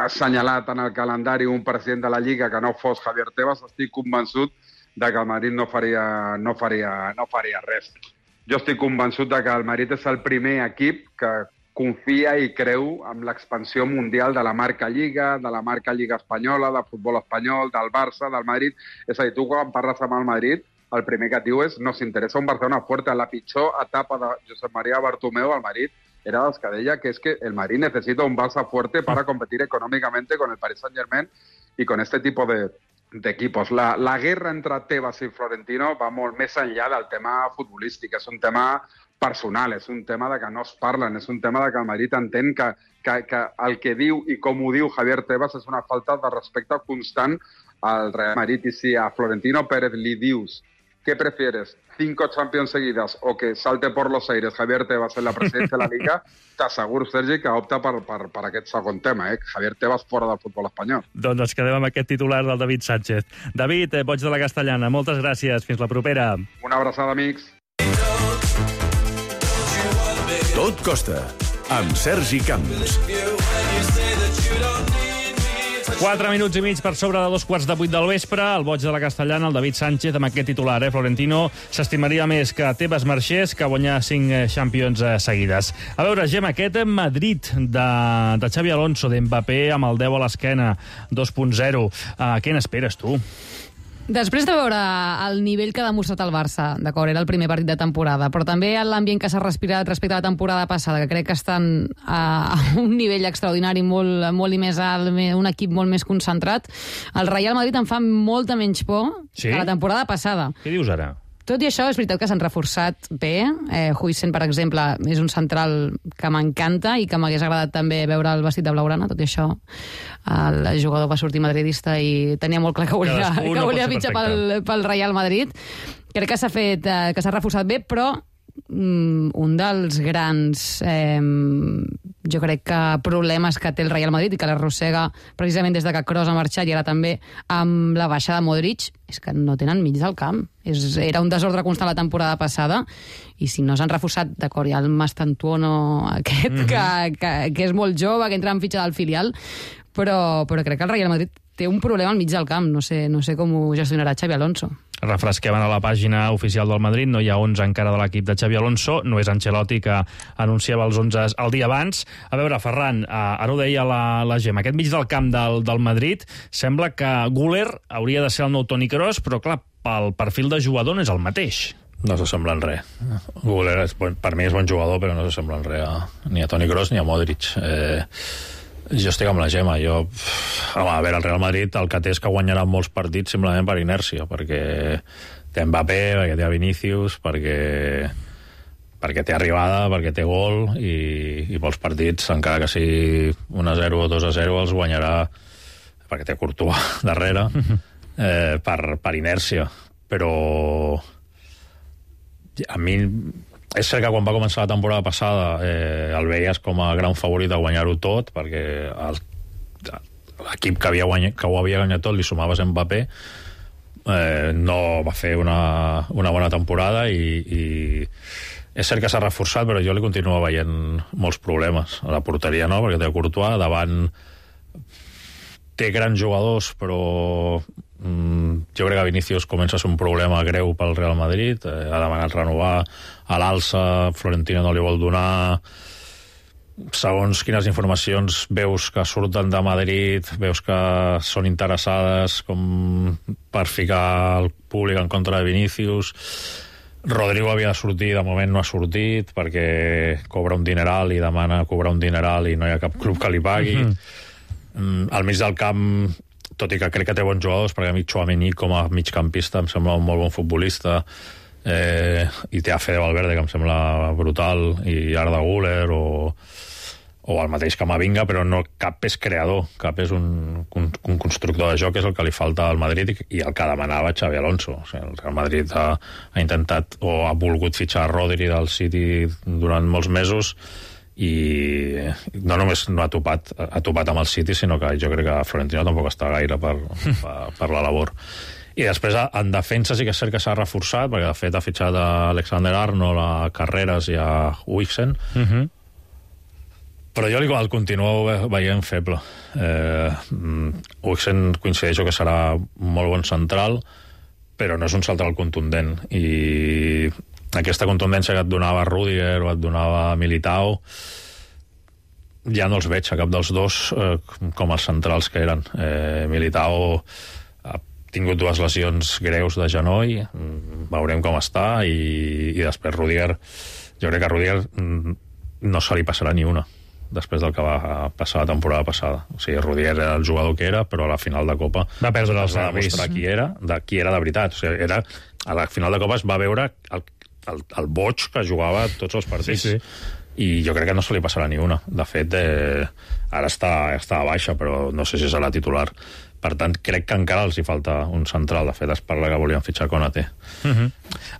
assenyalat en el calendari un president de la Lliga que no fos Javier Tebas, estic convençut de que el Madrid no faria, no faria, no faria res. Jo estic convençut de que el Madrid és el primer equip que confia i creu en l'expansió mundial de la marca Lliga, de la marca Lliga Espanyola, de futbol espanyol, del Barça, del Madrid. És a dir, tu quan parles amb el Madrid, el primer que et diu és nos interessa un Barcelona fuerte. La pitjor etapa de Josep María Bartomeu al Madrid era dels que deia que es que el Madrid necesita un Barça fuerte para competir económicamente con el Paris Saint-Germain y con este tipo de, de equipos. La, la guerra entre Tebas i Florentino va molt més enllà del tema futbolístic. És un tema personal, és un tema de que no es parlen, és un tema de que el Madrid entén que, que, que el que diu i com ho diu Javier Tebas és una falta de respecte constant al Real Madrid. I si a Florentino Pérez li dius ¿qué prefieres? ¿Cinco Champions seguidas o que salte por los aires Javier Tebas en la presidencia de la Liga? T'asseguro, Sergi, que opta per, per, per aquest segon tema, eh? Javier Tebas fora del futbol espanyol. Doncs ens quedem amb aquest titular del David Sánchez. David, eh, boig de la Castellana, moltes gràcies. Fins la propera. Una abraçada, amics. Tot costa, amb Sergi Camps. Quatre minuts i mig per sobre de dos quarts de vuit del vespre. El boig de la Castellana, el David Sánchez, amb aquest titular. Eh? Florentino s'estimaria més que Tebas marxés que guanyar cinc Champions seguides. A veure, Gemma, aquest Madrid de, de Xavi Alonso, d'Mbappé, amb el deu a l'esquena, dos punt zero. Uh, què n'esperes, tu? Després de veure el nivell que ha demostrat el Barça, d'acord, era el primer partit de temporada, però també l'ambient que s'ha respirat respecte a la temporada passada, que crec que estan a un nivell extraordinari, molt, molt i més alt, un equip molt més concentrat, el Real Madrid em fa molta menys por sí? que la temporada passada. Què dius ara? Tot i això, és veritat que s'han reforçat bé. Eh, Huijsen, per exemple, és un central que m'encanta i que m'hagués agradat també veure el vestit de blaugrana. Tot i això, el jugador va sortir madridista i tenia molt clar que volia, que no volia fitxar pel, pel Real Madrid. Crec que s'ha fet, eh, que s'ha reforçat bé, però mm, un dels grans eh, jo crec que problemes que té el Real Madrid i que l'arrossega precisament des de que Kroos ha marxat i ara també amb la baixada de Modric és que no tenen mig del camp. És, era un desordre constant la temporada passada i si no s'han reforçat, d'acord, hi ha el Mastantuono aquest, mm-hmm. que, que, que és molt jove, que entra en fitxa del filial, però, però crec que el Real Madrid té un problema al mig del camp. No sé, no sé com ho gestionarà Xavi Alonso. Refresquem a la pàgina oficial del Madrid, no hi ha onze encara de l'equip de Xavi Alonso, no és Ancelotti que anunciava els onze el dia abans. A veure, Ferran, ara ho deia la, la Gemma, aquest mig del camp del, del Madrid sembla que Güler hauria de ser el nou Toni Kroos, però clar, pel perfil de jugador no és el mateix. No s'assembla en res. Güler, és, per mi és bon jugador, però no s'assembla en res a, ni a Toni Kroos ni a Modric. Eh... Jo estic amb la Gemma. Jo, home, a veure, el Real Madrid el que té és que guanyarà molts partits simplement per inèrcia, perquè té Mbappé, perquè té Vinícius, perquè, perquè té arribada, perquè té gol, i, i molts partits, encara que sigui un a zero o dos a zero, els guanyarà perquè té Courtois darrere, eh, per, per inèrcia. Però a mi... És cert que quan va començar la temporada passada eh, el veies com a gran favorit de guanyar-ho tot, perquè el, l'equip que, havia guanyat, que ho havia guanyat tot li sumaves Mbappé, eh, no va fer una, una bona temporada i, i és cert que s'ha reforçat, però jo li continuo veient molts problemes. A la porteria no, perquè té Courtois, davant té grans jugadors, però mm, jo crec que Vinícius comença a ser un problema greu pel Real Madrid, eh, ha demanat renovar a l'alça, Florentino no li vol donar, segons quines informacions veus que surten de Madrid, veus que són interessades com per ficar el públic en contra de Vinícius. Rodrigo havia de sortir, de moment no ha sortit perquè cobra un dineral i demana cobrar un dineral i no hi ha cap club que li pagui. Mm-hmm. Al mig del camp, tot i que crec que té bons jugadors, perquè a mi Tchouaméni com a migcampista em sembla un molt bon futbolista, eh, i té a Fede Valverde, que em sembla brutal, i Arda Güler o, o el mateix Camavinga, però no cap és creador, cap és un, un, un constructor de joc, és el que li falta al Madrid i, i el que demanava Xavi Alonso. O sigui, el Real Madrid ha, ha intentat o ha volgut fitxar Rodri del City durant molts mesos i no només no ha topat, ha topat amb el City, sinó que jo crec que Florentino tampoc està gaire per, per, per la labor. I després en defensa sí que és cert que s'ha reforçat, perquè de fet ha fitxat a Alexander Arnold, a Carreras i a Huijsen, uh-huh. Però jo el continuo veient feble. eh, Huijsen coincideixo que serà molt bon central, però no és un central contundent, i aquesta contundència que et donava Rudiger o et donava Militao ja no els veig a cap dels dos eh, com els centrals que eren. eh, Militao ha tingut dues lesions greus de genoll, veurem com està, i, i després Rudiger, jo crec que Rudiger no se li passarà ni una després del que va passar la temporada passada. O sigui, Rudiger era el jugador que era, però a la final de Copa va perdre els va demostrar qui era, de qui era de veritat. O sigui, era, a la final de Copa es va veure el El, el boig que jugava tots els partits, sí, sí. I jo crec que no se li passarà ni una. De fet, eh, ara està, està a baixa, però no sé si serà titular Per tant, crec que encara els hi falta un central. De fet, es parla que volien fitxar Konaté. Uh -huh.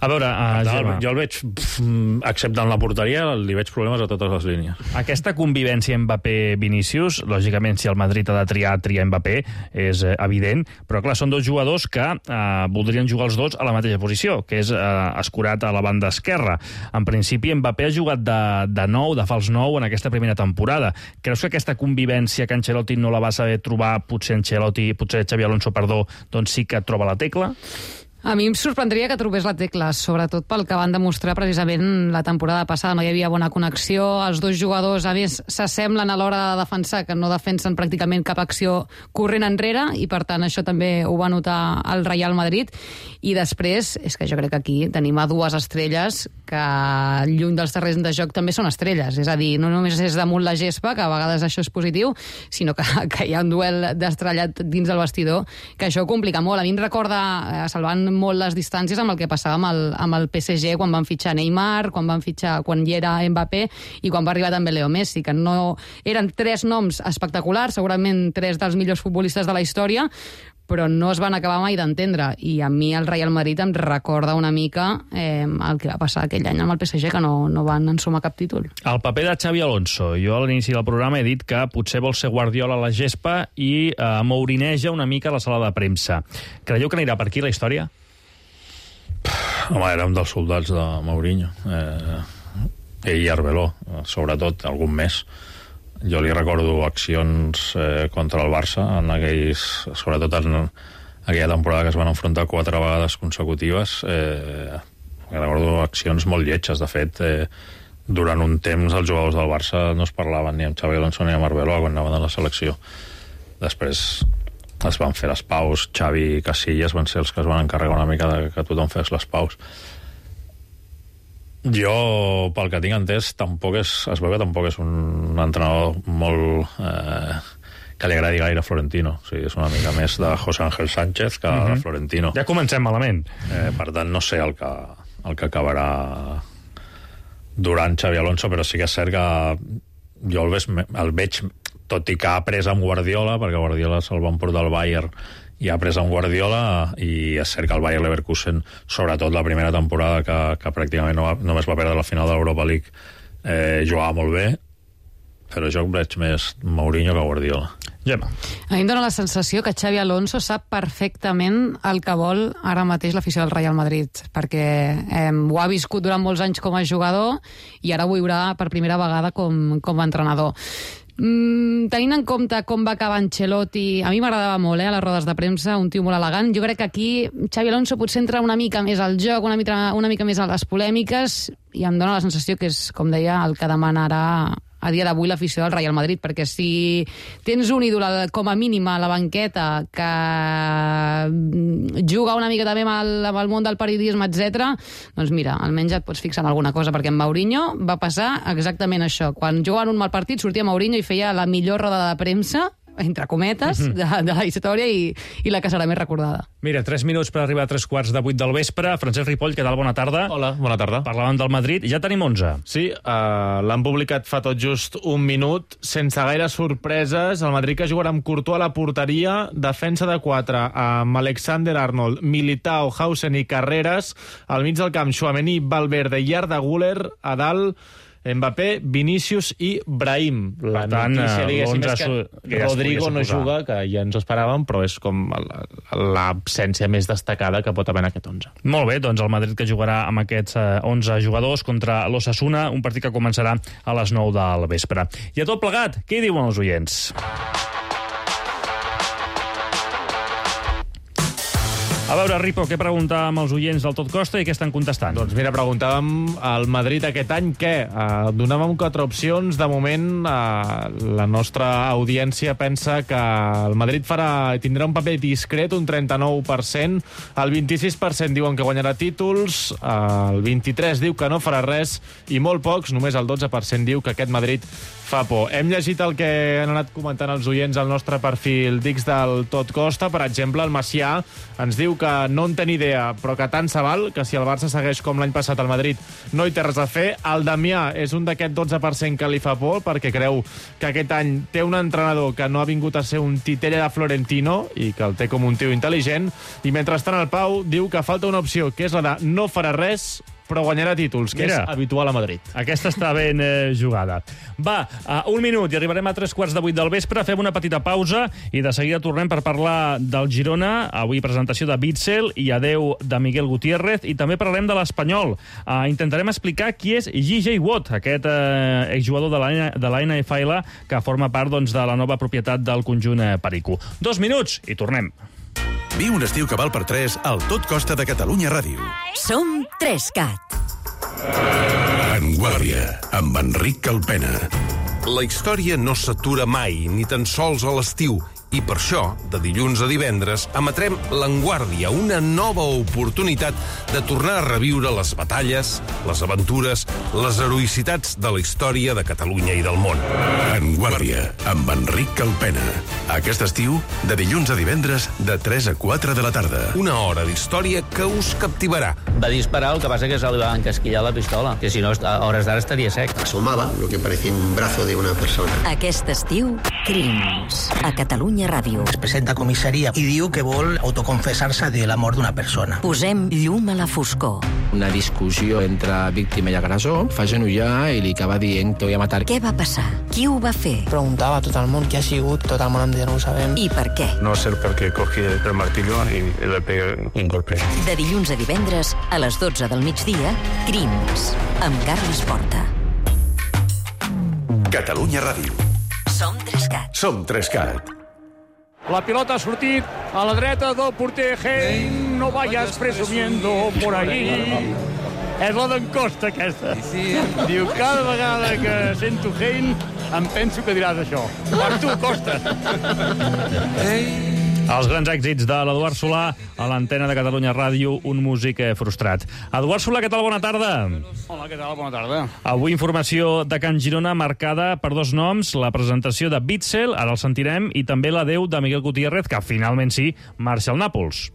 A veure, uh, Gemma, jo el veig, pff, exceptant la porteria, li veig problemes a totes les línies. Aquesta convivència Mbappé-Vinícius, lògicament, si el Madrid ha de triar, triar Mbappé, és eh, evident, però clar, són dos jugadors que eh, voldrien jugar els dos a la mateixa posició, que és eh, escurat a la banda esquerra. En principi, Mbappé ha jugat de, de nou, de fals nou, en aquesta primera temporada. Creus que aquesta convivència que Ancelotti no la va saber trobar, potser Ancelotti, potser Xabi Alonso, perdó, doncs sí que troba la tecla? A mi em sorprendria que trobés la tecla, sobretot pel que van demostrar precisament la temporada passada. No hi havia bona connexió, els dos jugadors, a més, s'assemblen a l'hora de defensar, que no defensen pràcticament cap acció corrent enrere, i per tant això també ho va notar el Real Madrid. I després, és que jo crec que aquí tenim a dues estrelles que lluny dels terrenys de joc també són estrelles, és a dir, no només és damunt la gespa, que a vegades això és positiu, sinó que, que hi ha un duel destrellat dins del vestidor, que això ho complica molt. A mi em recorda, eh, salvant molt les distàncies, amb el que passava amb el, amb el P S G quan van fitxar Neymar, quan van fitxar quan hi era Mbappé i quan va arribar també Leo Messi, que no eren tres noms espectaculars, segurament tres dels millors futbolistes de la història, però no es van acabar mai d'entendre, i a mi el Real Madrid em recorda una mica eh, el que va passar aquell any amb el P S G, que no, no van ensumar cap títol. El paper de Xabi Alonso. Jo a l'inici del programa he dit que potser vol ser Guardiola a la gespa i eh, mourineja una mica a la sala de premsa. Creieu que anirà per aquí la història? Home, era un dels soldats de Mourinho. Eh, ell i Arbeloa, sobretot, algun més. Jo li recordo accions eh, contra el Barça, en aquells, sobretot en aquella temporada que es van enfrontar quatre vegades consecutives. Eh, recordo accions molt lletges. De fet, eh, durant un temps els jugadors del Barça no es parlaven ni amb Xabi Alonso ni amb Arbeloa quan anaven a la selecció. Després es van fer les paus, Xavi i Casillas van ser els que es van encarregar una mica de que tothom fes les paus. Jo, pel que tinc entès, tampoc és, es veu que tampoc és un entrenador molt eh, que li agradi gaire a Florentino. O sigui, és una mica més de José Ángel Sánchez que mm-hmm. de Florentino. Ja comencem malament. Eh, per tant, no sé el que, el que acabarà durant Xabi Alonso, però sí que és cert que jo el, ves, el veig, tot i que ha pres amb Guardiola, perquè Guardiola se'l van portar al Bayern i ha pres amb Guardiola, i és cert que el Bayer Leverkusen, sobretot la primera temporada que, que pràcticament no va, només va perdre la final de l'Europa League, eh, jugava molt bé, però jo veig més Mourinho que Guardiola. Gemma. A mi em dóna la sensació que Xabi Alonso sap perfectament el que vol ara mateix l'afició del Real Madrid, perquè eh, ho ha viscut durant molts anys com a jugador i ara ho viurà per primera vegada com, com a entrenador. Mm, tenint en compte com va acabar Ancelotti, a mi m'agradava molt, eh, a les rodes de premsa, un tio molt elegant. Jo crec que aquí Xabi Alonso potser entra una mica més al joc, una mica, una mica més a les polèmiques, i em dóna la sensació que és, com deia, el que demanarà a dia d'avui l'afició del Real Madrid, perquè si tens un ídol com a mínim a la banqueta que juga una mica també amb el, amb el món del periodisme, etcètera, doncs mira, almenys et pots fixar en alguna cosa, perquè en Mourinho va passar exactament això. Quan jugaven un mal partit sortia Mourinho i feia la millor roda de premsa, entre cometes, uh-huh. de, de la història, i, i la que serà més recordada. Mira, tres minuts per arribar a tres quarts de vuit del vespre. Francesc Ripoll, què tal? Bona tarda. Hola, bona tarda. Parlàvem del Madrid, ja tenim onze. Sí, uh, l'han publicat fa tot just un minut, sense gaire sorpreses. El Madrid que jugarà amb Courtois a la porteria, defensa de quatre, amb Alexander Arnold, Militao, Hausen i Carreras, al mig del camp, Tchouaméni, Valverde i Arda Güler, a dalt Mbappé, Vinícius i Brahim. La per tant, notícia, diguéssim, és que, que ja Rodrigo no juga, que ja ens ho esperàvem, però és com l'absència més destacada que pot haver en aquest onze. Molt bé, doncs el Madrid que jugarà amb aquests onze jugadors contra l'Osasuna, un partit que començarà a les nou del vespre. I a tot plegat, què hi diuen els oients? A veure, Ripo, què preguntàvem als oients del Tot Costa i què estan contestant? Doncs mira, preguntàvem al Madrid aquest any què? Uh, donàvem quatre opcions. De moment, uh, la nostra audiència pensa que el Madrid farà, tindrà un paper discret, un trenta-nou per cent. El vint-i-sis per cent diuen que guanyarà títols, uh, el vint-i-tres per cent diu que no farà res, i molt pocs, només el dotze per cent diu que aquest Madrid fa por. Hem llegit el que han anat comentant els oients al nostre perfil d'X del Tot Costa. Per exemple, el Macià ens diu que no en té ni idea, però que tant se val, que si el Barça segueix com l'any passat al Madrid no hi té res a fer. El Damià és un d'aquest dotze per cent que li fa por, perquè creu que aquest any té un entrenador que no ha vingut a ser un titella de Florentino i que el té com un tio intel·ligent. I mentrestant el Pau diu que falta una opció, que és la de no farà res, però guanyarà títols, que Mira, és habitual a Madrid. Aquesta està ben eh, jugada. Va, a un minut i arribarem a tres quarts de vuit del vespre, fem una petita pausa i de seguida tornem per parlar del Girona, avui presentació de Witsel i adeu de Miguel Gutiérrez, i també parlarem de l'Espanyol. Uh, intentarem explicar qui és J J Watt, aquest uh, exjugador de la, de la N F L que forma part doncs, de la nova propietat del conjunt uh, Perico. Dos minuts i tornem. Viu un estiu que val per tres al Tot Costa de Catalunya Ràdio. Som Trescat. En Guàrdia, amb Enric Calpena. La història no s'atura mai, ni tan sols a l'estiu. I per això, de dilluns a divendres, emetrem L'Enguàrdia, una nova oportunitat de tornar a reviure les batalles, les aventures, les heroïcitats de la història de Catalunya i del món. En Guàrdia, amb Enric Calpena. Aquest estiu, de dilluns a divendres, de tres a quatre de la tarda. Una hora d'història que us captivarà. Va disparar, el que passa que se li va encasquillar la pistola, que si no, a hores d'ara estaria sec. Asomaba lo que parecía un brazo de una persona. Aquest estiu, Crims, a Catalunya Ràdio. Es presenta a comissaria i diu que vol autoconfessar-se de la mort d'una persona. Posem llum a la foscor. Una discussió entre víctima i agressor, fa genollar i li acaba dient que voy a matar. Què va passar? Qui ho va fer? Preguntava a tot el món qui ha sigut, tot el món entero ho sabem. I per què? No sé per què cogí el martillo i le pegué un golpe. De dilluns a divendres, a les dotze del migdia, Crims, amb Carles Porta. Catalunya Ràdio. Som Trescat. Som Trescat. La pilota ha sortit a la dreta del porter Hein. No vayas presumiendo por ahí. És la d'en Costa, aquesta. Diu, cada vegada que sento Hein em penso que diràs això. Per tu, Costa. Els grans èxits de l'Eduard Solà a l'antena de Catalunya Ràdio, un músic frustrat. Eduard Solà, què tal? Bona tarda. Hola, què tal? Bona tarda. Avui informació de Can Girona marcada per dos noms, la presentació de Witsel, ara el sentirem, i també l'adeu de Miguel Gutiérrez, que finalment sí, marxa al Nàpols.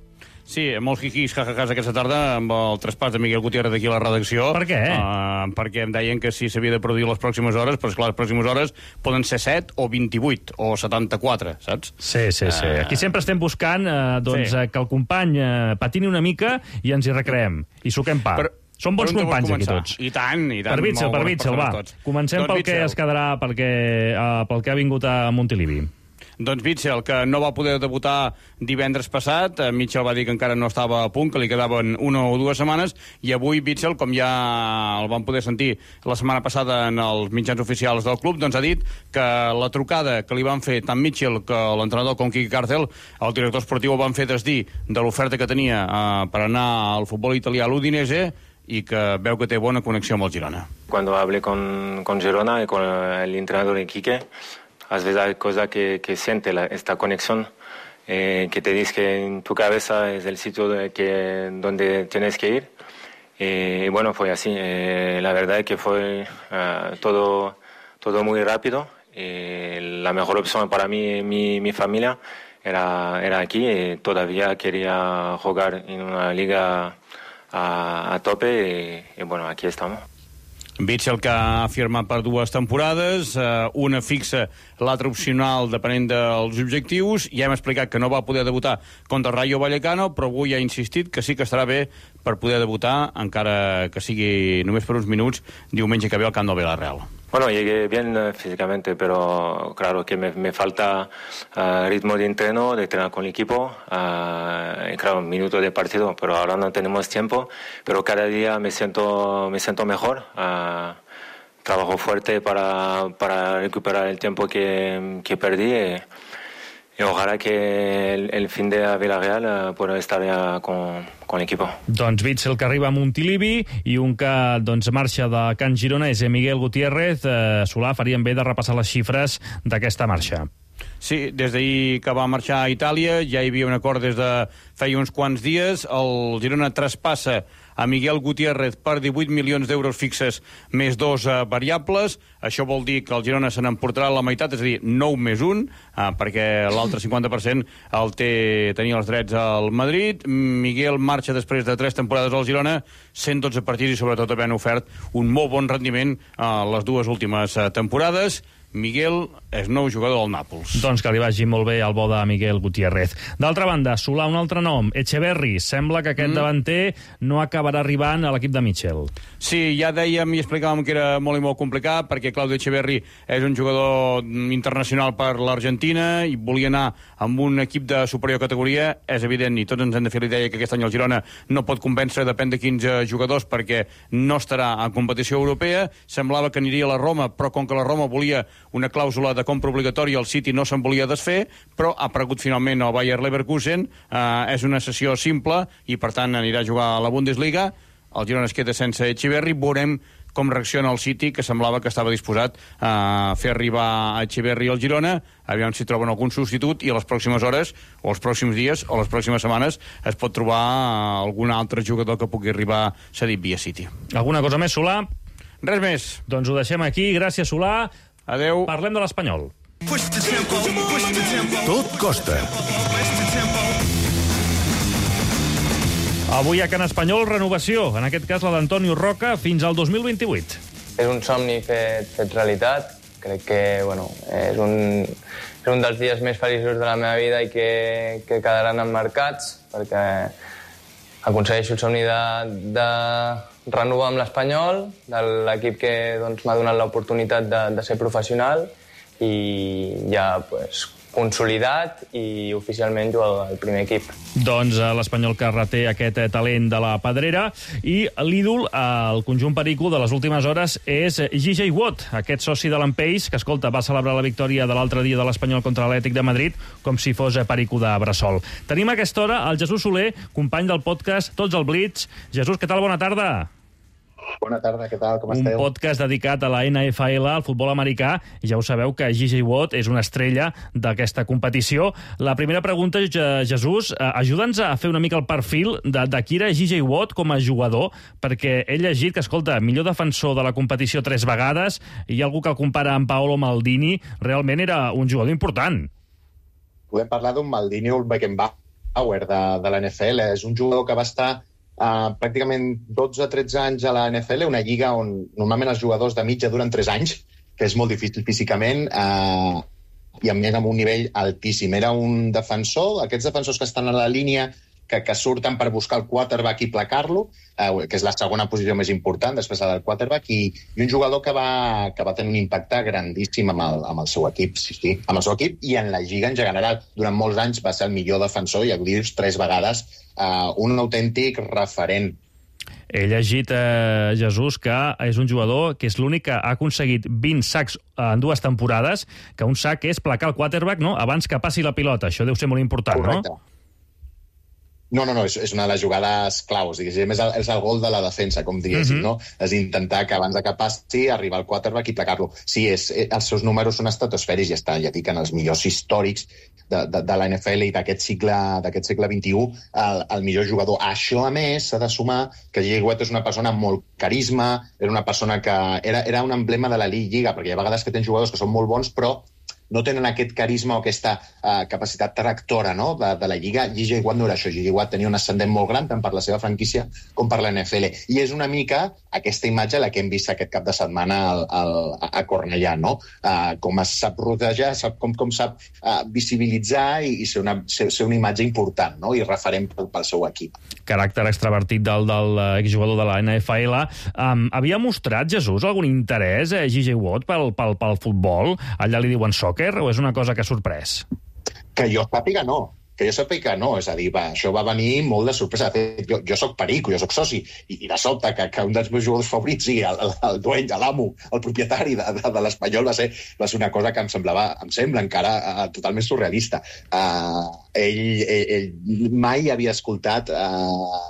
Sí, molts jiquis, jajajàs aquesta tarda amb el traspàs de Miguel Gutiérrez aquí a la redacció. Per què? Uh, perquè em deien que si s'havia de produir les pròximes hores, però esclar, les pròximes hores poden ser set o vint-i-vuit o setanta-quatre, saps? Sí, sí, sí. Uh... Aquí sempre estem buscant uh, doncs, sí. que el company uh, patini una mica i ens hi recreem. I suquem pa. Per... Som bons companys aquí tots. I tant, i tant. Per Witsel, per Witsel, va. Tots. Comencem doncs pel Witsel. Que es quedarà, perquè, uh, pel que ha vingut a Montilivi. Doncs Witsel, que no va poder debutar divendres passat, Mitchell va dir que encara no estava a punt, que li quedaven una o dues setmanes, i avui Witsel, com ja el vam poder sentir la setmana passada en els mitjans oficials del club, doncs ha dit que la trucada que li van fer tant Mitchell que l'entrenador com Quique Cárcel, el director esportiu el van fer desdir de l'oferta que tenia eh, per anar al futbol italià a l'Udinese, i que veu que té bona connexió amb el Girona. Cuando hablé con, con Girona y con el entrenador de Quique, a veces hay cosas que, que siente la, esta conexión, eh, que te dice que en tu cabeza es el sitio de que, donde tienes que ir. Y bueno, fue así. Eh, la verdad es que fue uh, todo, todo muy rápido. Y la mejor opción para mí, mi, mi familia, era, era aquí. Y todavía quería jugar en una liga a, a tope. Y, y bueno, aquí estamos. Witsel, que ha firmat per dues temporades, eh, una fixa, l'altra opcional, depenent dels objectius. Ja hem explicat que no va poder debutar contra el Rayo Vallecano, però avui ha insistit que sí que estarà bé per poder debutar, encara que sigui només per uns minuts, diumenge que ve al camp del Villarreal. Bueno, llegué bien uh, físicamente, pero claro que me, me falta uh, ritmo de entreno, de entrenar con el equipo, uh, y claro, minutos de partido, pero ahora no tenemos tiempo, pero cada día me siento, me siento mejor. Uh, trabajo fuerte para, para recuperar el tiempo que, que perdí. Y, i ojalà que el, el fin de Villarreal eh, pueda estar ja con, con l'equip. Doncs Witsel, que arriba a Montilivi, i un que doncs, marxa de Can Girona és Miguel Gutiérrez. Eh, Solà, farien bé de repassar les xifres d'aquesta marxa. Sí, des d'ahir que va marxar a Itàlia ja hi havia un acord des de feia uns quants dies. El Girona traspassa a Miguel Gutiérrez per divuit milions d'euros fixes més dos eh, variables. Això vol dir que el Girona se n'emportarà la meitat, és a dir, nou més un, eh, perquè l'altre cinquanta per cent el té, tenia els drets al Madrid. Miguel marxa després de tres temporades al Girona, cent dotze partits i sobretot havent ofert un molt bon rendiment a eh, les dues últimes eh, temporades. Miguel és nou jugador del Nàpols. Doncs que li vagi molt bé al bo de Miguel Gutiérrez. D'altra banda, Solà, un altre nom, Echeverri. Sembla que aquest mm. davanter no acabarà arribant a l'equip de Michel. Sí, ja dèiem i explicàvem que era molt i molt complicat, perquè Claudio Echeverri és un jugador internacional per l'Argentina i volia anar amb un equip de superior categoria. És evident, i tots ens hem de fer l'idea que aquest any el Girona no pot convèncer, depèn de quins jugadors, perquè no estarà en competició europea. Semblava que aniria a la Roma, però com que la Roma volia una clàusula de compra obligatòria, el City no se'n volia desfer, però ha aparegut finalment el Bayer Leverkusen. Eh, és una sessió simple i, per tant, anirà a jugar a la Bundesliga. El Girona es queda sense Echeverri. Veurem com reacciona el City, que semblava que estava disposat a fer arribar a Echeverri al Girona. Aviam si troben algun substitut i a les pròximes hores, o els pròxims dies, o les pròximes setmanes, es pot trobar algun altre jugador que pugui arribar cedit via City. Alguna cosa més, Solà? Res més. Doncs ho deixem aquí. Gràcies, Solà. Adeu. Parlem de l'Espanyol. Tot costa. Avui a Can Espanyol, renovació. En aquest cas, la d'Antonio Roca fins al dos mil vint-i-vuit. És un somni fet, fet realitat. Crec que bueno, és, un, és un dels dies més feliços de la meva vida i que, que quedaran emmarcats, perquè aconsegueixo el somni de, de renovar amb l'Espanyol, de l'equip que doncs, m'ha donat l'oportunitat de, de ser professional i ja pues, consolidat i oficialment jugador del primer equip. Doncs l'Espanyol que reté aquest talent de la Pedrera i l'ídol, el conjunt perico de les últimes hores és G J Watt, aquest soci de l'Empeix que, escolta, va celebrar la victòria de l'altre dia de l'Espanyol contra l'Atlètic de Madrid com si fos perico de bressol. Tenim a aquesta hora el Jesús Soler, company del podcast Tots al Blitz. Jesús, què tal? Bona tarda. Bona tarda, què tal? Com un esteu? Un podcast dedicat a la N F L, al futbol americà, i ja ho sabeu que G J Watt és una estrella d'aquesta competició. La primera pregunta, Jesús, ajuda'ns a fer una mica el perfil de, de qui era G J Watt com a jugador, perquè he llegit que, escolta, millor defensor de la competició tres vegades, i hi ha algú que el compara amb Paolo Maldini, realment era un jugador important. Podem parlar d'un Maldini o un Beckenbauer de, de la N F L. És un jugador que va estar Uh, pràcticament dotze a tretze anys a la N F L, una lliga on normalment els jugadors de mitja duren tres anys, que és molt difícil físicament, uh, i a més amb un nivell altíssim. Era un defensor, aquests defensors que estan a la línia, que, que surten per buscar el quarterback i placar-lo, uh, que és la segona posició més important, després del quarterback, i, i un jugador que va, que va tenir un impacte grandíssim amb el, amb el seu equip, sí, sí, amb el seu equip i en la lliga en general. Durant molts anys va ser el millor defensor, i ja ho dius, tres vegades, Uh, un autèntic referent. He llegit, eh, Jesús, que és un jugador que és l'únic que ha aconseguit vint sacs en dues temporades, que un sac és placar el quarterback, no?, abans que passi la pilota. Això deu ser molt important, correcte. No? No, no, no, és, és una de les jugades claus, diguéssim, és el, és el gol de la defensa, com diguéssim, uh-huh. no? És intentar que abans que passi arribar al quarterback i placar-lo. Sí, és, els seus números són estratosfèrics, ja està, ja dic, en els millors històrics de, de, de la N F L i d'aquest segle, d'aquest segle vint-i-u, el, el millor jugador. Això, a més, s'ha de sumar que G J Watt és una persona amb molt carisma, era una persona que era, era un emblema de la Lliga, perquè hi ha vegades que tens jugadors que són molt bons, però no tenen aquest carisma o aquesta uh, capacitat tractora, no?, de, de la Lliga. G J Watt no era això. G J Watt tenia un ascendent molt gran, tant per la seva franquícia com per la N F L. I és una mica aquesta imatge la que hem vist aquest cap de setmana al, al, a Cornellà, no? Uh, com es sap rodejar, sap, com, com sap uh, visibilitzar i, i ser, una, ser, ser una imatge important, no?, i referent pel, pel seu equip. Caràcter extravertit del, del exjugador de la N F L. Um, havia mostrat, Jesús, algun interès, eh, G J Watt, pel, pel, pel futbol? Allà li diuen soccer, o és una cosa que ha sorprès? Que jo sàpiga no. Que jo sàpiga no. És a dir, va, això va venir molt de sorpresa. De fet, jo, jo soc perico, jo soc soci, i, i de sobte que, que un dels meus jugadors favorits sigui el, el, el dueny, l'amo, el propietari de, de, de l'Espanyol, va ser, va ser una cosa que em semblava, em sembla encara uh, totalment surrealista. Uh, ell, ell, ell mai havia escoltat uh,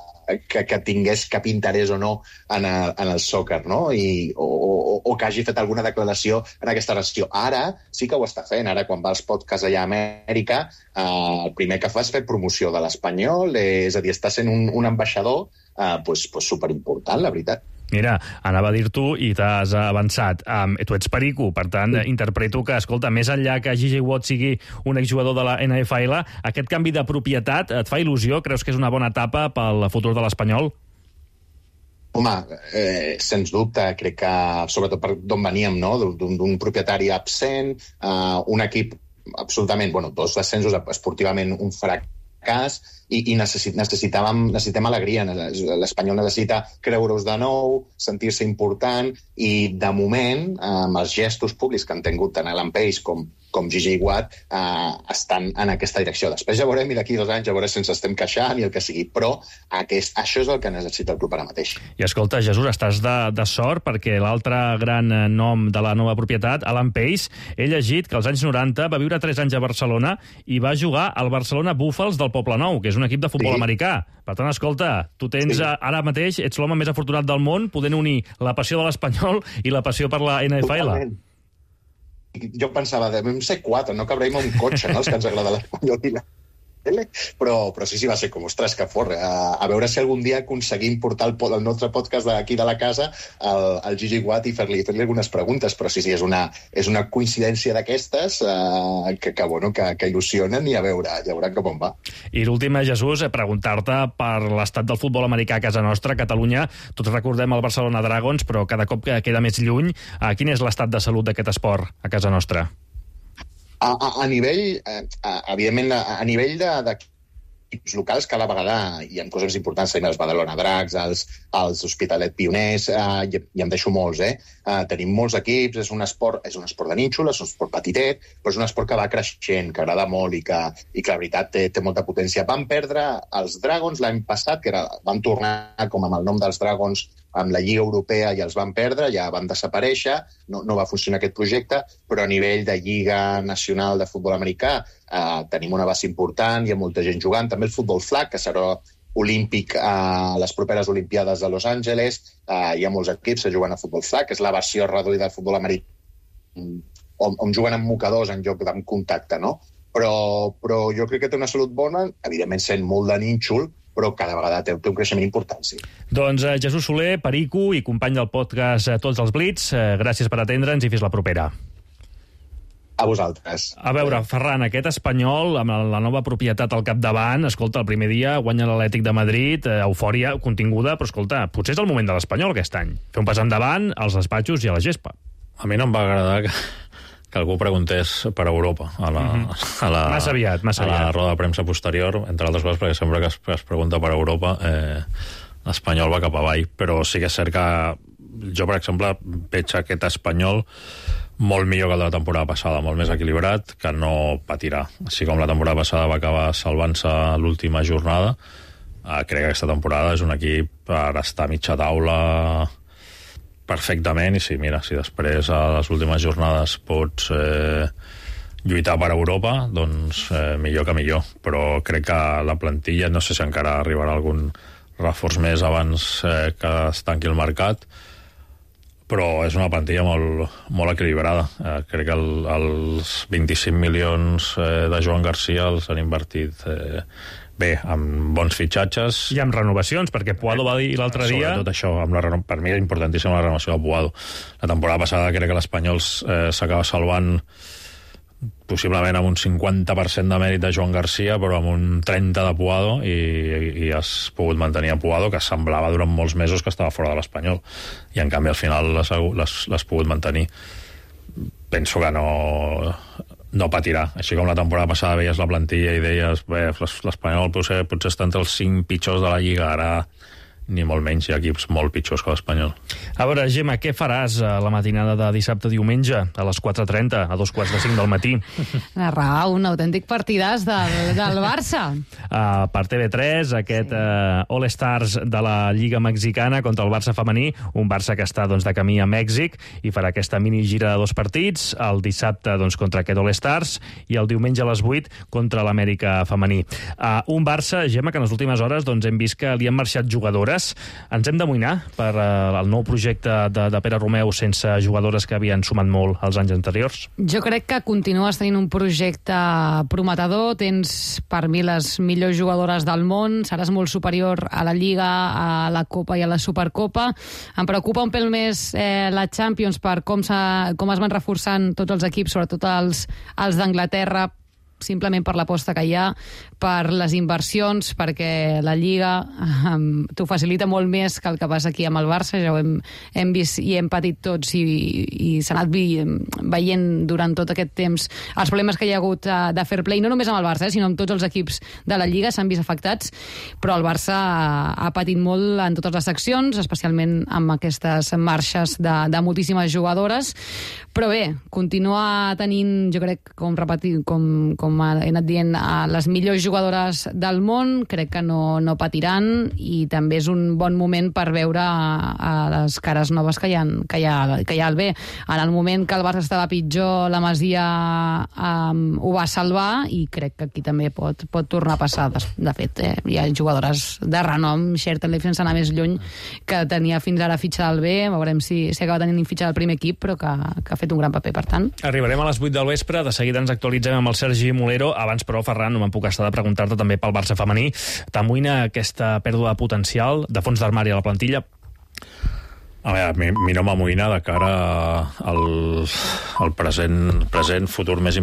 que, que tingués cap interès o no en el, en el soccer, no? I, o, o, o que hagi fet alguna declaració en aquesta relació. Ara sí que ho està fent. Ara, quan va als podcasts allà a Amèrica, eh, el primer que fa és fer promoció de l'Espanyol, eh, és a dir, està sent un, un ambaixador eh, pues, pues superimportant, la veritat. Mira, anava a dir tu i t'has avançat. Um, tu ets perico, per tant, sí. interpreto que, escolta, més enllà que J J Watt sigui un exjugador de la N F L, aquest canvi de propietat et fa il·lusió? Creus que és una bona etapa pel futur de l'Espanyol? Home, eh, sens dubte, crec que, sobretot per d'on veníem, no? d'un propietari absent, uh, un equip absolutament, bueno, dos descensos, esportivament un fracàs, i, i necessit, necessitàvem, necessitem alegria. L'Espanyol necessita creure-us de nou, sentir-se important, i de moment, amb els gestos públics que han tingut tant Alan Pace com, com J J Watt, eh, estan en aquesta direcció. Després ja veurem, i d'aquí dos anys ja veurem si ens estem queixant i el que sigui, però aquest, això és el que necessita el club ara mateix. I escolta, Jesús, estàs de, de sort perquè l'altre gran nom de la nova propietat, Alan Pace, he llegit que als anys noranta va viure tres anys a Barcelona i va jugar al Barcelona Búfals del Poblenou, que és un equip de futbol sí. americà. Per tant, escolta, tu tens sí. ara mateix, ets l'home més afortunat del món, podent unir la passió de l'Espanyol i la passió per la N F L. Totalment. Jo pensava, devem ser quatre, no cabrem un cotxe, no?, els que ens agrada l'Espanyol i la tele, però, però sí, sí, va ser com, ostres, que fort. A, a veure si algun dia aconseguim portar el, el nostre podcast d'aquí de la casa al, al J J Watt i fer-li fer algunes preguntes, però sí, sí, és una, és una coincidència d'aquestes eh, que, que, bueno, que, que il·lusionen, i a veure, ja veurà com on va. I l'última, Jesús, preguntar-te per l'estat del futbol americà a casa nostra, a Catalunya. Tots recordem el Barcelona Dragons, però cada cop que queda més lluny. Eh, quin és l'estat de salut d'aquest esport a casa nostra? A, a, a nivell, a, evidentment, a, a nivell de, d'equips locals, cada vegada hi ha coses importants, tenim els Badalona Dracs, els, els Hospitalet Pioners, eh, i, i em deixo molts, eh? eh? Tenim molts equips, és un esport, és un esport de nínxol, és un esport petitet, però és un esport que va creixent, que agrada molt i que, i que la veritat té, té molta potència. Van perdre els Dragons l'any passat, que era, van tornar com amb el nom dels Dragons amb la Lliga Europea, i els van perdre, ja van desaparèixer, no, no va funcionar aquest projecte, però a nivell de Lliga Nacional de Futbol Americà eh, tenim una base important, hi ha molta gent jugant, també el futbol flag, que serà olímpic a les properes Olimpiades de Los Angeles, eh, hi ha molts equips que juguen a futbol flag, que és la versió reduïda del futbol americà, on, on juguen amb mocadors en lloc d'en contacte, no? Però, però jo crec que té una salut bona, evidentment sent molt de nínxol, però cada vegada té, té un creixement important, sí. Doncs eh, Jesús Soler, perico i company del podcast eh, Tots els Blitz, eh, gràcies per atendre'ns i fins la propera. A vosaltres. A veure, Ferran, aquest Espanyol, amb la nova propietat al capdavant, escolta, el primer dia guanya l'Atlètic de Madrid, eh, eufòria continguda, però escolta, potser és el moment de l'Espanyol aquest any. Fer un pas endavant als despatxos i a la gespa. A mi no em va agradar que, que algú preguntés per Europa a la, Mm-hmm. a la, Massa aviat, massa a la aviat. roda de premsa posterior, entre altres coses, perquè sempre que es, que es pregunta per Europa, eh, l'Espanyol va cap avall. Però sí que és cert que jo, per exemple, veig aquest Espanyol molt millor que el de la temporada passada, molt més equilibrat, que no patirà. Així com la temporada passada va acabar salvant-se l'última jornada, eh, crec que aquesta temporada és un equip per estar a mitja taula perfectament, i sí, mira, si després a les últimes jornades pots eh, lluitar per Europa, doncs eh, millor que millor. Però crec que la plantilla, no sé si encara arribarà algun reforç més abans eh, que es tanqui el mercat, però és una plantilla molt, molt equilibrada. Eh, crec que el, els vint-i-cinc milions eh, de Joan Garcia els han invertit eh, bé, amb bons fitxatges. I amb renovacions, perquè Puado va dir l'altre dia... Sobretot això, amb la reno... per mi és importantíssima la renovació de Puado. La temporada passada crec que l'Espanyol eh, s'acaba salvant possiblement amb un cinquanta per cent de mèrit de Joan Garcia, però amb un trenta de Puado, i, i has pogut mantenir a Puado, que semblava durant molts mesos que estava fora de l'Espanyol, i en canvi al final l'has pogut mantenir. Penso que no... no patirà. Així com la temporada passada veies la plantilla i deies, bé, l'Espanyol potser, potser està entre els cinc pitjors de la Lliga, ara ni molt menys, hi ha equips molt pitjors que l'Espanyol. A veure, Gemma, què faràs a la matinada de dissabte-diumenge, a les quatre trenta, a dos quarts de cinc del matí? Narrar un autèntic partidàs del, del Barça. Uh, per T V tres, aquest sí. uh, All-Stars de la Lliga Mexicana contra el Barça femení, un Barça que està doncs, de camí a Mèxic, i farà aquesta mini-gira de dos partits, el dissabte doncs, contra aquest All-Stars, i el diumenge a les vuit contra l'Amèrica femení. Uh, un Barça, Gemma, que en les últimes hores doncs, hem vist que li han marxat jugadores. cas, ens hem d'amoïnar per uh, el nou projecte de, de Pere Romeu sense jugadores que havien sumat molt els anys anteriors? Jo crec que continues tenint un projecte prometedor, tens per mi les millors jugadores del món, seràs molt superior a la Lliga, a la Copa i a la Supercopa. Em preocupa un pèl més eh, la Champions per com, com es van reforçant tots els equips, sobretot els, els d'Anglaterra, simplement per l'aposta que hi ha, per les inversions, perquè la Lliga um, t'ho facilita molt més que el que passa aquí amb el Barça, ja ho hem, hem vist i hem patit tots i, i s'ha anat vi, veient durant tot aquest temps els problemes que hi ha hagut uh, de fair play, no només amb el Barça, eh, sinó amb tots els equips de la Lliga s'han vist afectats, però el Barça ha, ha patit molt en totes les seccions, especialment amb aquestes marxes de, de moltíssimes jugadores, però bé, continua tenint, jo crec, com repetir, com, com com he anat dient, a les millors jugadores del món, crec que no, no patiran i també és un bon moment per veure a, a les cares noves que hi ha, que hi ha, que hi ha al B. En el moment que el Barça estava pitjor, la Masia um, ho va salvar i crec que aquí també pot, pot tornar a passar. De, de fet, eh, hi ha jugadores de renom, Schertenleif sense anar més lluny, que tenia fins ara fitxa del B, veurem si, si acaba tenint fitxa del primer equip, però que, que ha fet un gran paper, per tant. Arribarem a les vuit del vespre, de seguida ens actualitzem amb el Sergi Molero. Abans, però, Ferran, no me'n puc estar de preguntar-te també pel Barça femení. T'amoïna aquesta pèrdua de potencial de fons d'armari a la plantilla? A veure, mi, mi no m'amoïna de cara al, al present, present, futur més immediat